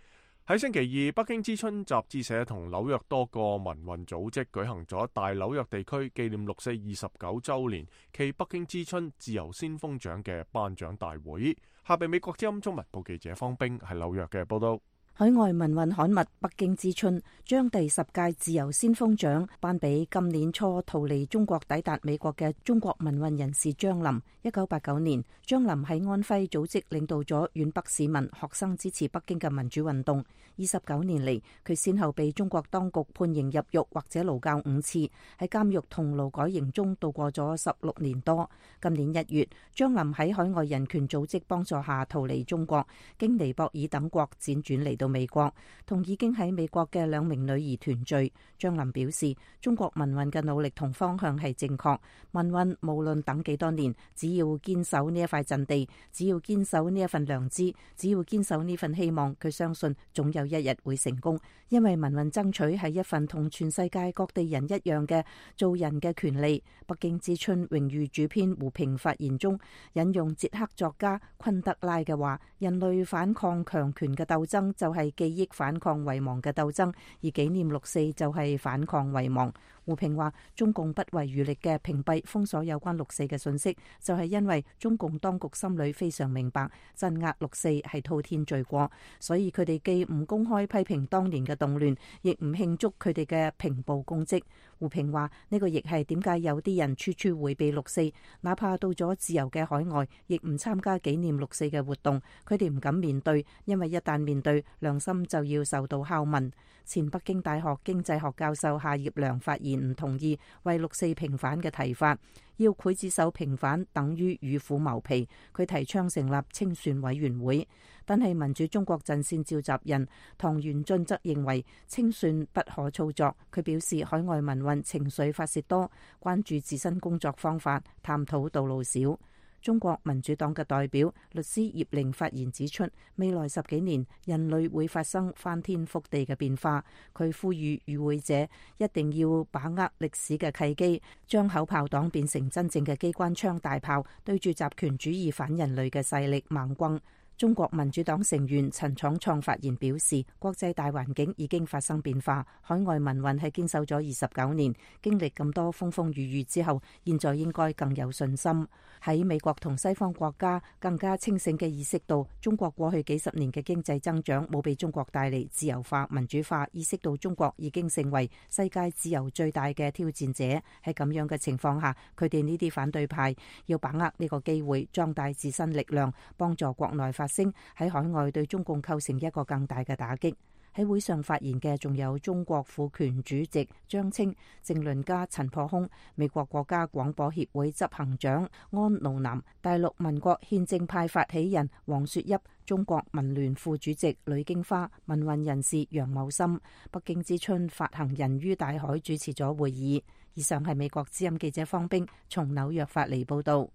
喺星期二，北京之春雜誌社同紐約多個民運組織舉行咗大紐約地區紀念六四二十九週年暨北京之春自由先鋒獎嘅頒獎大會。下邊美國之音中文部記者方冰喺紐約嘅報道。海外民運刊物《北京之春》將第十屆自由先鋒獎頒俾今年初逃離中國抵達美國嘅中國民運人士張林。一九八九年，張林喺安徽組織領導咗皖北市民學生支持北京嘅民主運動。二十九年嚟，佢先後被中國當局判刑入獄或者勞教五次，喺監獄同勞改營中度過咗十六年多。今年一月，張林喺海外人權組織幫助下逃離中國，經尼泊爾等國輾轉嚟到美國，同已經喺美國嘅兩名女兒團聚。張林表示，中國民運嘅努力同方向係正確，民運無論等幾多年，只要堅守呢一塊陣地，只要堅守呢一份良知，只要堅守呢份希望，佢相信總有一日會成功。因為民運爭取係一份同全世界各地人一樣嘅做人嘅權利。北京之春榮譽主編胡平發言中引用捷克作家昆德拉嘅話：人類反抗強權嘅鬥爭就係記憶反抗遺忘嘅鬥爭，而紀念六四就係反抗遺忘。胡平話，中共不遺餘力嘅屏蔽封鎖有關六四嘅信息，就係因為中共當局心裏非常明白鎮壓六四係滔天罪過，所以佢哋既唔公開批評當年嘅動亂，亦唔慶祝佢哋嘅平暴功績。胡平話，呢個亦係點解有啲人處處迴避六四，哪怕到咗自由嘅海外，亦唔參加紀念六四嘅活動。佢哋唔敢面對，因為一旦面對，良心就要受到拷問。前北京大學經濟學教授夏業良發言唔同意為六四平反嘅提法，要劊子手平反等於與虎謀皮。佢提倡成立清算委員會，但係民主中國陣線召集人唐元俊則認為清算不可操作。佢表示海外民運情緒發洩多，關注自身工作方法，探討道路少。中國民主黨嘅代表律師葉玲發言指出，未來十幾年人類會發生翻天覆地嘅變化。佢呼籲與會者一定要把握歷史嘅契機，將口炮黨變成真正嘅機關槍大炮，對住集權主義反人類嘅勢力猛轟。中國民主黨成員陳闖創發言表示，國際大環境已經發生變化，海外民運係堅守咗二十九年，經歷咁多風風雨雨之後，現在應該更有信心。喺美國同西方國家更加清醒嘅意識到，中國過去幾十年嘅經濟增長冇俾中國帶嚟自由化、民主化，意識到中國已經成為世界自由最大嘅挑戰者。喺咁樣嘅情況下，佢哋呢啲反對派要把握呢個機會，壯大自身力量，幫助國內發聲，喺海外對中共構成一個更大嘅打擊。喺會上發言嘅仲有中國婦權主席張青、政論家陳破空、美國國家廣播協會執行長安奴南、大陸民國憲政派發起人黃雪邑、中國民聯副主席呂京花、民運人士楊某森、北京之春發行人于大海主持咗會議。以上係美國之音記者方冰從紐約發嚟報道。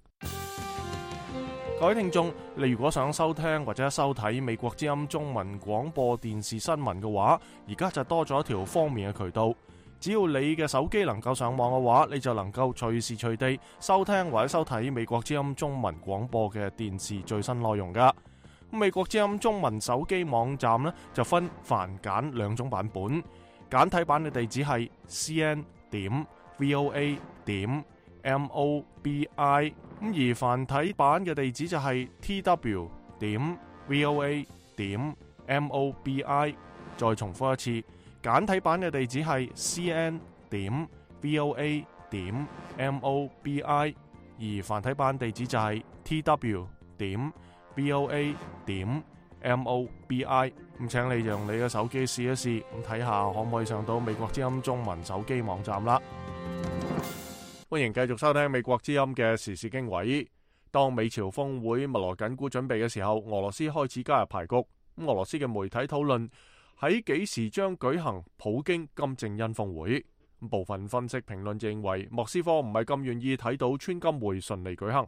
各位聽眾，你如果想收聽或者收睇美國之音中文廣播電視新聞嘅話，而家就多咗一條方便嘅渠道。只要你嘅手機能夠上網嘅話，你就能夠隨時隨地收聽或者收睇美國之音中文廣播嘅電視最新內容噶。美國之音中文手機網站呢，就分繁簡兩種版本，簡體版嘅地址係 c n 點 v o a 點 m o b i， 咁而繁體版嘅地址就係 t w 點 v o a 點 m o b i。 再重複一次，簡體版嘅地址係 c n 點 v o a 點 m o b i， 而繁體版地址就係 t w 點 v o a 點 m o b i。 咁請你用你嘅手機試一試，咁睇下可唔可以上到美國之音中文手機網站啦。歡迎繼續收聽美國之音嘅時事經緯。當美朝峰會密鑼緊鼓準備嘅時候，俄羅斯開始加入排局。咁俄羅斯嘅媒體討論喺幾時將舉行普京金正恩峰會。部分分析評論認為，莫斯科唔係咁願意睇到川金會順利舉行。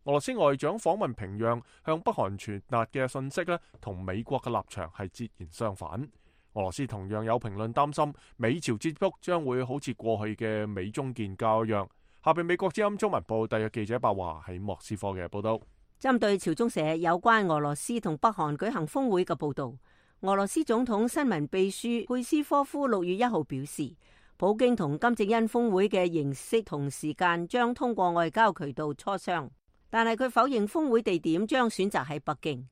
俄羅斯外長訪問平壤，向北韓傳達嘅信息呢，同美國嘅立場係截然相反。俄羅斯同樣有評論擔心，美朝接觸將會好似過去嘅美中建交一樣。下邊美國之音中文部特約記者白華喺莫斯科嘅報道。針對朝中社有關俄羅斯同北韓舉行峰會嘅報道，俄羅斯總統新聞秘書佩斯科夫六月一號表示，普京同金正恩峰會嘅形式同時間將通過外交渠道磋商，但係佢否認峰會地點將選擇喺北京。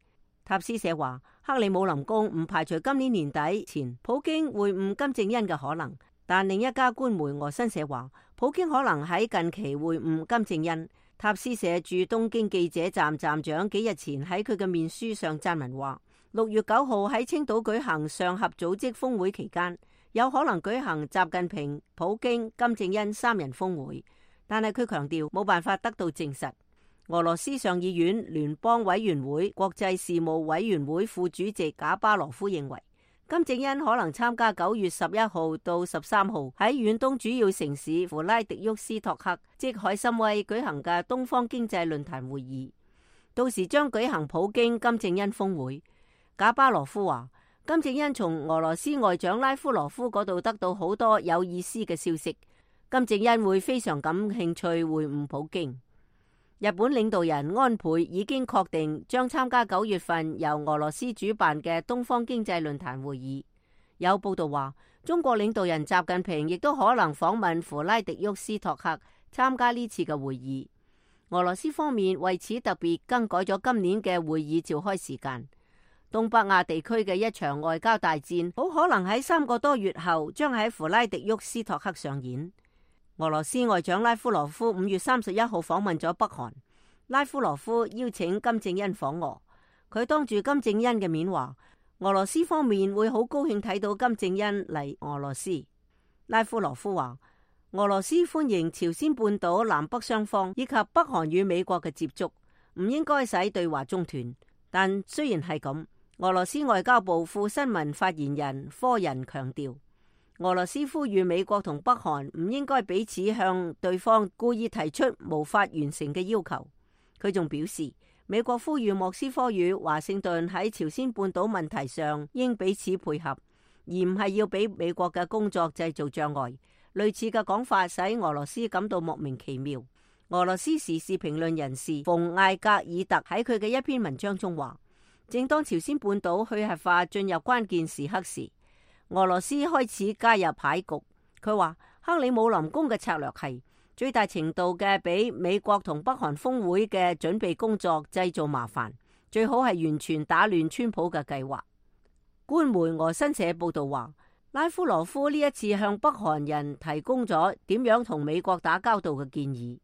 塔斯社話，克里姆林宮唔排除今年年底前普京會晤金正恩嘅可能。但另一家官媒俄新社話，普京可能喺近期會晤金正恩。塔斯社駐東京記者站站長幾日前喺佢嘅面書上撰文話，六月九號喺青島舉行上合組織峰會期間，有可能舉行習近平、普京、金正恩三人峰會，但係佢強調冇辦法得到證實。俄羅斯上議院聯邦委員會國際事務委員會副主席賈巴羅夫認為，金正恩可能參加九月十一號到十三號喺遠東主要城市弗拉迪沃斯托克即海參崴舉行嘅東方經濟論壇會議，到時將舉行普京金正恩峰會。賈巴羅夫話，金正恩從俄羅斯外長拉夫羅夫嗰度得到好多有意思嘅消息，金正恩會非常感興趣會晤普京。日本領導人安倍已經確定將參加九月份由俄羅斯主辦嘅東方經濟論壇會議。有報道話，中國領導人習近平亦都可能訪問弗拉迪沃斯托克參加呢次嘅會議。俄羅斯方面為此特別更改咗今年嘅會議召開時間。東北亞地區嘅一場外交大戰好可能喺三個多月後將喺弗拉迪沃斯托克上演。俄羅斯外長拉夫羅夫五月三十一號訪問咗北韓，拉夫羅夫邀請金正恩訪俄，佢當住金正恩嘅面話，俄羅斯方面會好高興睇到金正恩嚟俄羅斯。拉夫羅夫話，俄羅斯歡迎朝鮮半島南北雙方以及北韓與美國嘅接觸，唔應該使對話中斷。但雖然係咁，俄羅斯外交部副新聞發言人科仁強調，俄羅斯呼籲美國同北韓唔應該彼此向對方故意提出無法完成嘅要求。佢仲表示，美國呼籲莫斯科與華盛頓喺朝鮮半島問題上應彼此配合，而唔係要俾美國嘅工作製造障礙。類似嘅講法使俄羅斯感到莫名其妙。俄羅斯時事評論人士馮艾格爾特喺佢嘅一篇文章中話，正當朝鮮半島去核化進入關鍵時刻時，俄羅斯開始加入牌局。佢話克里姆林宮嘅策略係最大程度嘅俾美國同北韓峰會嘅準備工作製造麻煩，最好係完全打亂川普嘅計劃。官媒俄新社報道話，拉夫羅夫呢一次向北韓人提供咗點樣同美國打交道嘅建議。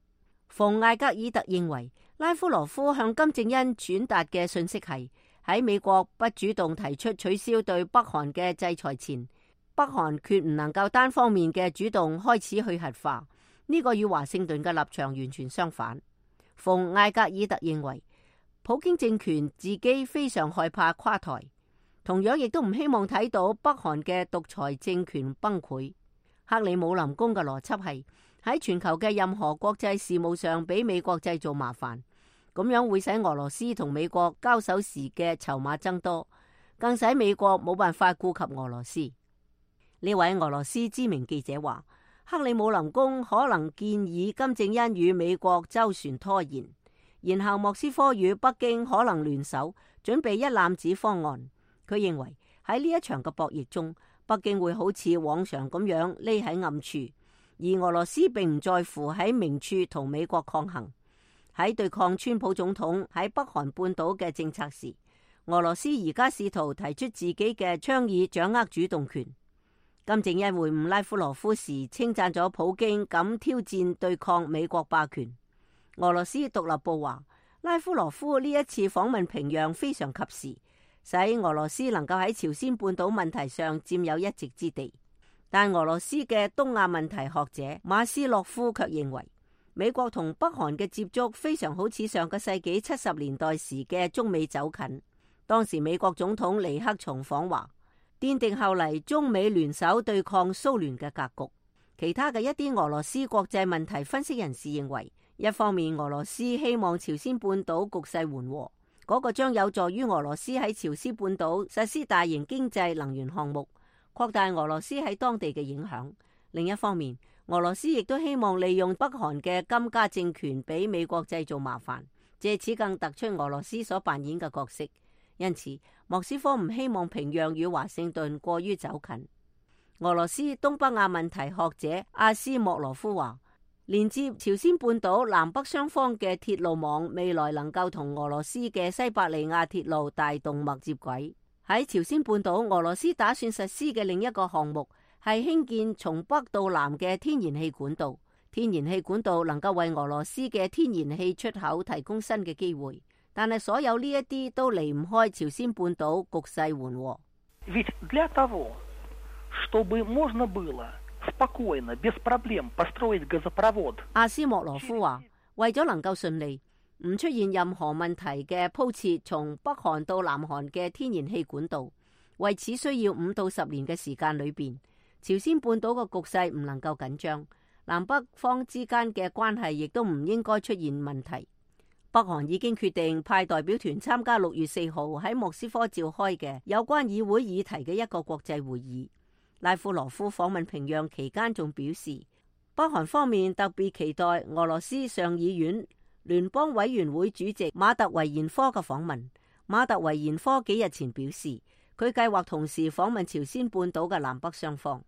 馮艾格爾特認為，拉夫羅夫向金正恩傳達嘅信息係喺美國不主動提出取消對北韓嘅制裁前，北韓決唔能夠單方面嘅主動開始去核化。呢個與華盛頓嘅立場完全相反。馮艾格爾特認為，普京政權自己非常害怕垮台，同樣亦都唔希望睇到北韓嘅獨裁政權崩潰。克里姆林宮嘅邏輯係喺全球嘅任何國際事務上俾美國製造麻煩，咁樣會使俄羅斯同美國交手時嘅籌碼增多，更使美國冇辦法顧及俄羅斯。呢位俄羅斯知名記者話，克里姆林宮可能建議金正恩與美國周旋拖延，然後莫斯科與北京可能聯手準備一攬子方案。佢認為喺呢一場嘅博弈中，北京會好似往常咁樣匿喺暗處，而俄羅斯並唔在乎喺明處同美國抗衡。喺對抗川普總統喺北韓半島嘅政策時，俄羅斯而家試圖提出自己嘅倡議，掌握主動權。金正恩會晤拉夫羅夫時稱讚咗普京敢挑戰對抗美國霸權。俄羅斯獨立報話，拉夫羅夫呢一次訪問平壤非常及時，使俄羅斯能夠喺朝鮮半島問題上佔有一席之地。但俄羅斯嘅東亞問題學者馬斯洛夫卻認為，美國同北韓嘅接觸非常好似上個世紀七十年代時嘅中美走近。當時美國總統尼克松訪華，奠定後嚟中美聯手對抗蘇聯嘅格局。其他嘅一啲俄羅斯國際問題分析人士認為，一方面俄羅斯希望朝鮮半島局勢緩和，嗰個將有助於俄羅斯喺朝鮮半島實施大型經濟能源項目，擴大俄羅斯喺當地嘅影響。另一方面，俄羅斯亦都希望利用北韓嘅金家政權俾美國製造麻煩，借此更突出俄羅斯所扮演嘅角色。因此，莫斯科唔希望平壤與華盛頓過於走近。俄羅斯東北亞問題學者阿斯莫羅夫話，連接朝鮮半島南北雙方嘅鐵路網未來能夠同俄羅斯嘅西伯利亞鐵路大動脈接軌。喺朝鮮半島，俄羅斯打算實施嘅另一個項目係興建從北到南嘅天然氣管道。天然氣管道能夠為俄羅斯嘅天然氣出口提供新嘅機會。但係所有呢一啲都離唔開朝鮮半島局勢緩和。阿斯莫羅夫話，為咗能夠順利唔出現任何問題嘅鋪設從北韓到南韓嘅天然氣管道，為此需要五到十年嘅時間裏邊，朝鮮半島嘅局勢唔能夠緊張，南北方之間嘅關係亦都唔應該出現問題。北韓已經決定派代表團參加六月四號喺莫斯科召開嘅有關議會議題嘅一個國際會議。拉夫羅夫訪問平壤期間仲表示，北韓方面特別期待俄羅斯上議院聯邦委員會主席馬特維延科嘅訪問。馬特維延科幾日前表示，佢計劃同時訪問朝鮮半島嘅南北雙方。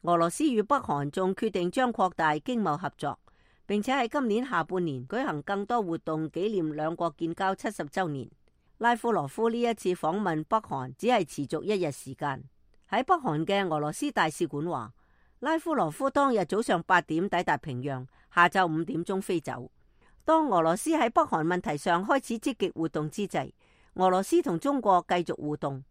俄羅斯與北韓仲決定將擴大經貿合作，並且喺今年下半年舉行更多活動紀念兩國建交七十週年。拉夫羅夫呢一次訪問北韓只係持續一日時間。喺北韓嘅俄羅斯大使館話，拉夫羅夫當日早上八點抵達平壤，下晝五點鐘飛走。當俄羅斯喺北韓問題上開始積極活動之際，俄羅斯同中國繼續互動。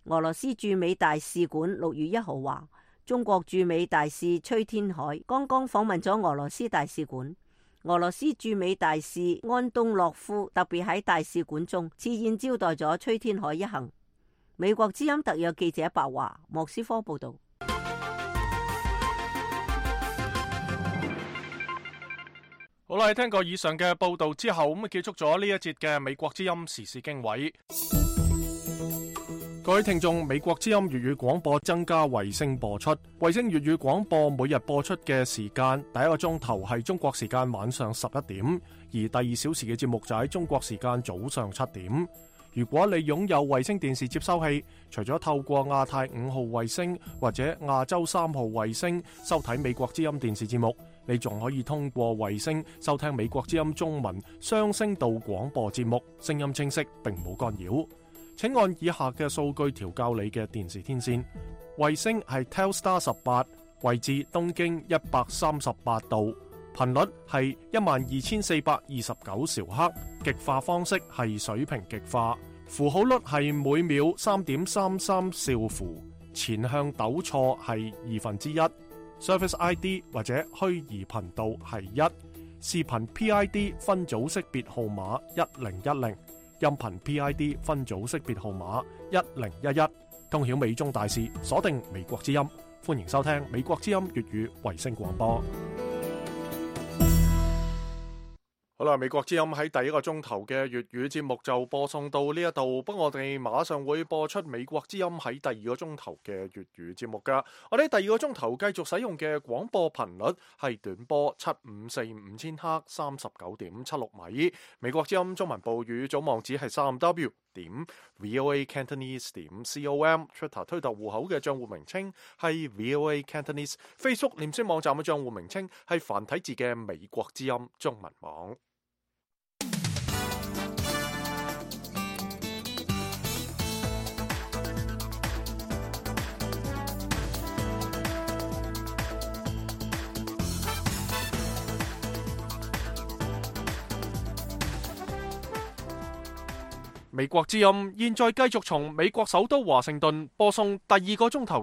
俄羅斯駐美大使館六月一號話，中國駐美大使崔天凱剛剛訪問咗俄羅斯大使館。俄羅斯駐美大使安東諾夫特別喺大使館中設宴招待咗崔天凱一行。美國之音特約記者白華，莫斯科報道。好啦，聽過以上嘅報道之後，咁結束咗呢一節嘅美國之音時事經緯。各位聽眾，美國之音粵語廣播增加衛星播出，衛星粵語廣播每日播出嘅時間，第一個鐘頭係中國時間晚上十一點，而第二小時嘅節目就喺中國時間早上七點。如果你擁有衛星電視接收器，除咗透過亞太五號衛星或者亞洲三號衛星收睇美國之音電視節目，你仲可以通過衛星收聽美國之音中文雙聲道廣播節目，聲音清晰並冇干擾。請按以下嘅數據調校你嘅電視天線。衛星係 Telstar 十八，位置東經一百三十八度，頻率係一萬二千四百二十九兆赫，極化方式係水平極化，符號率係每秒三點三三兆符，前向抖錯係二分之一。Service I D 或者虛擬頻道係一，視頻 P I D 分組識別號碼一零一零，音頻 P I D 分組識別號碼一零一一。通曉美中大事，鎖定美國之音，歡迎收聽美國之音粵語衛星廣播。好啦，美國之音喺第一個鐘頭嘅粵語節目就播送到呢一度，不過我哋馬上會播出美國之音喺第二個鐘頭嘅粵語節目噶。我哋第二個鐘頭繼續使用嘅廣播頻率係短波七五四五千赫三十九點七六米。美國之音中文部語總網址係三 W 點 VOA Cantonese 點 com，Twitter 推特戶口嘅賬戶名稱係 VOA Cantonese，Facebook 臉書網站嘅賬戶名稱係繁體字嘅美國之音中文網。美國之音現在繼續從美國首都華盛頓播送第二個鐘頭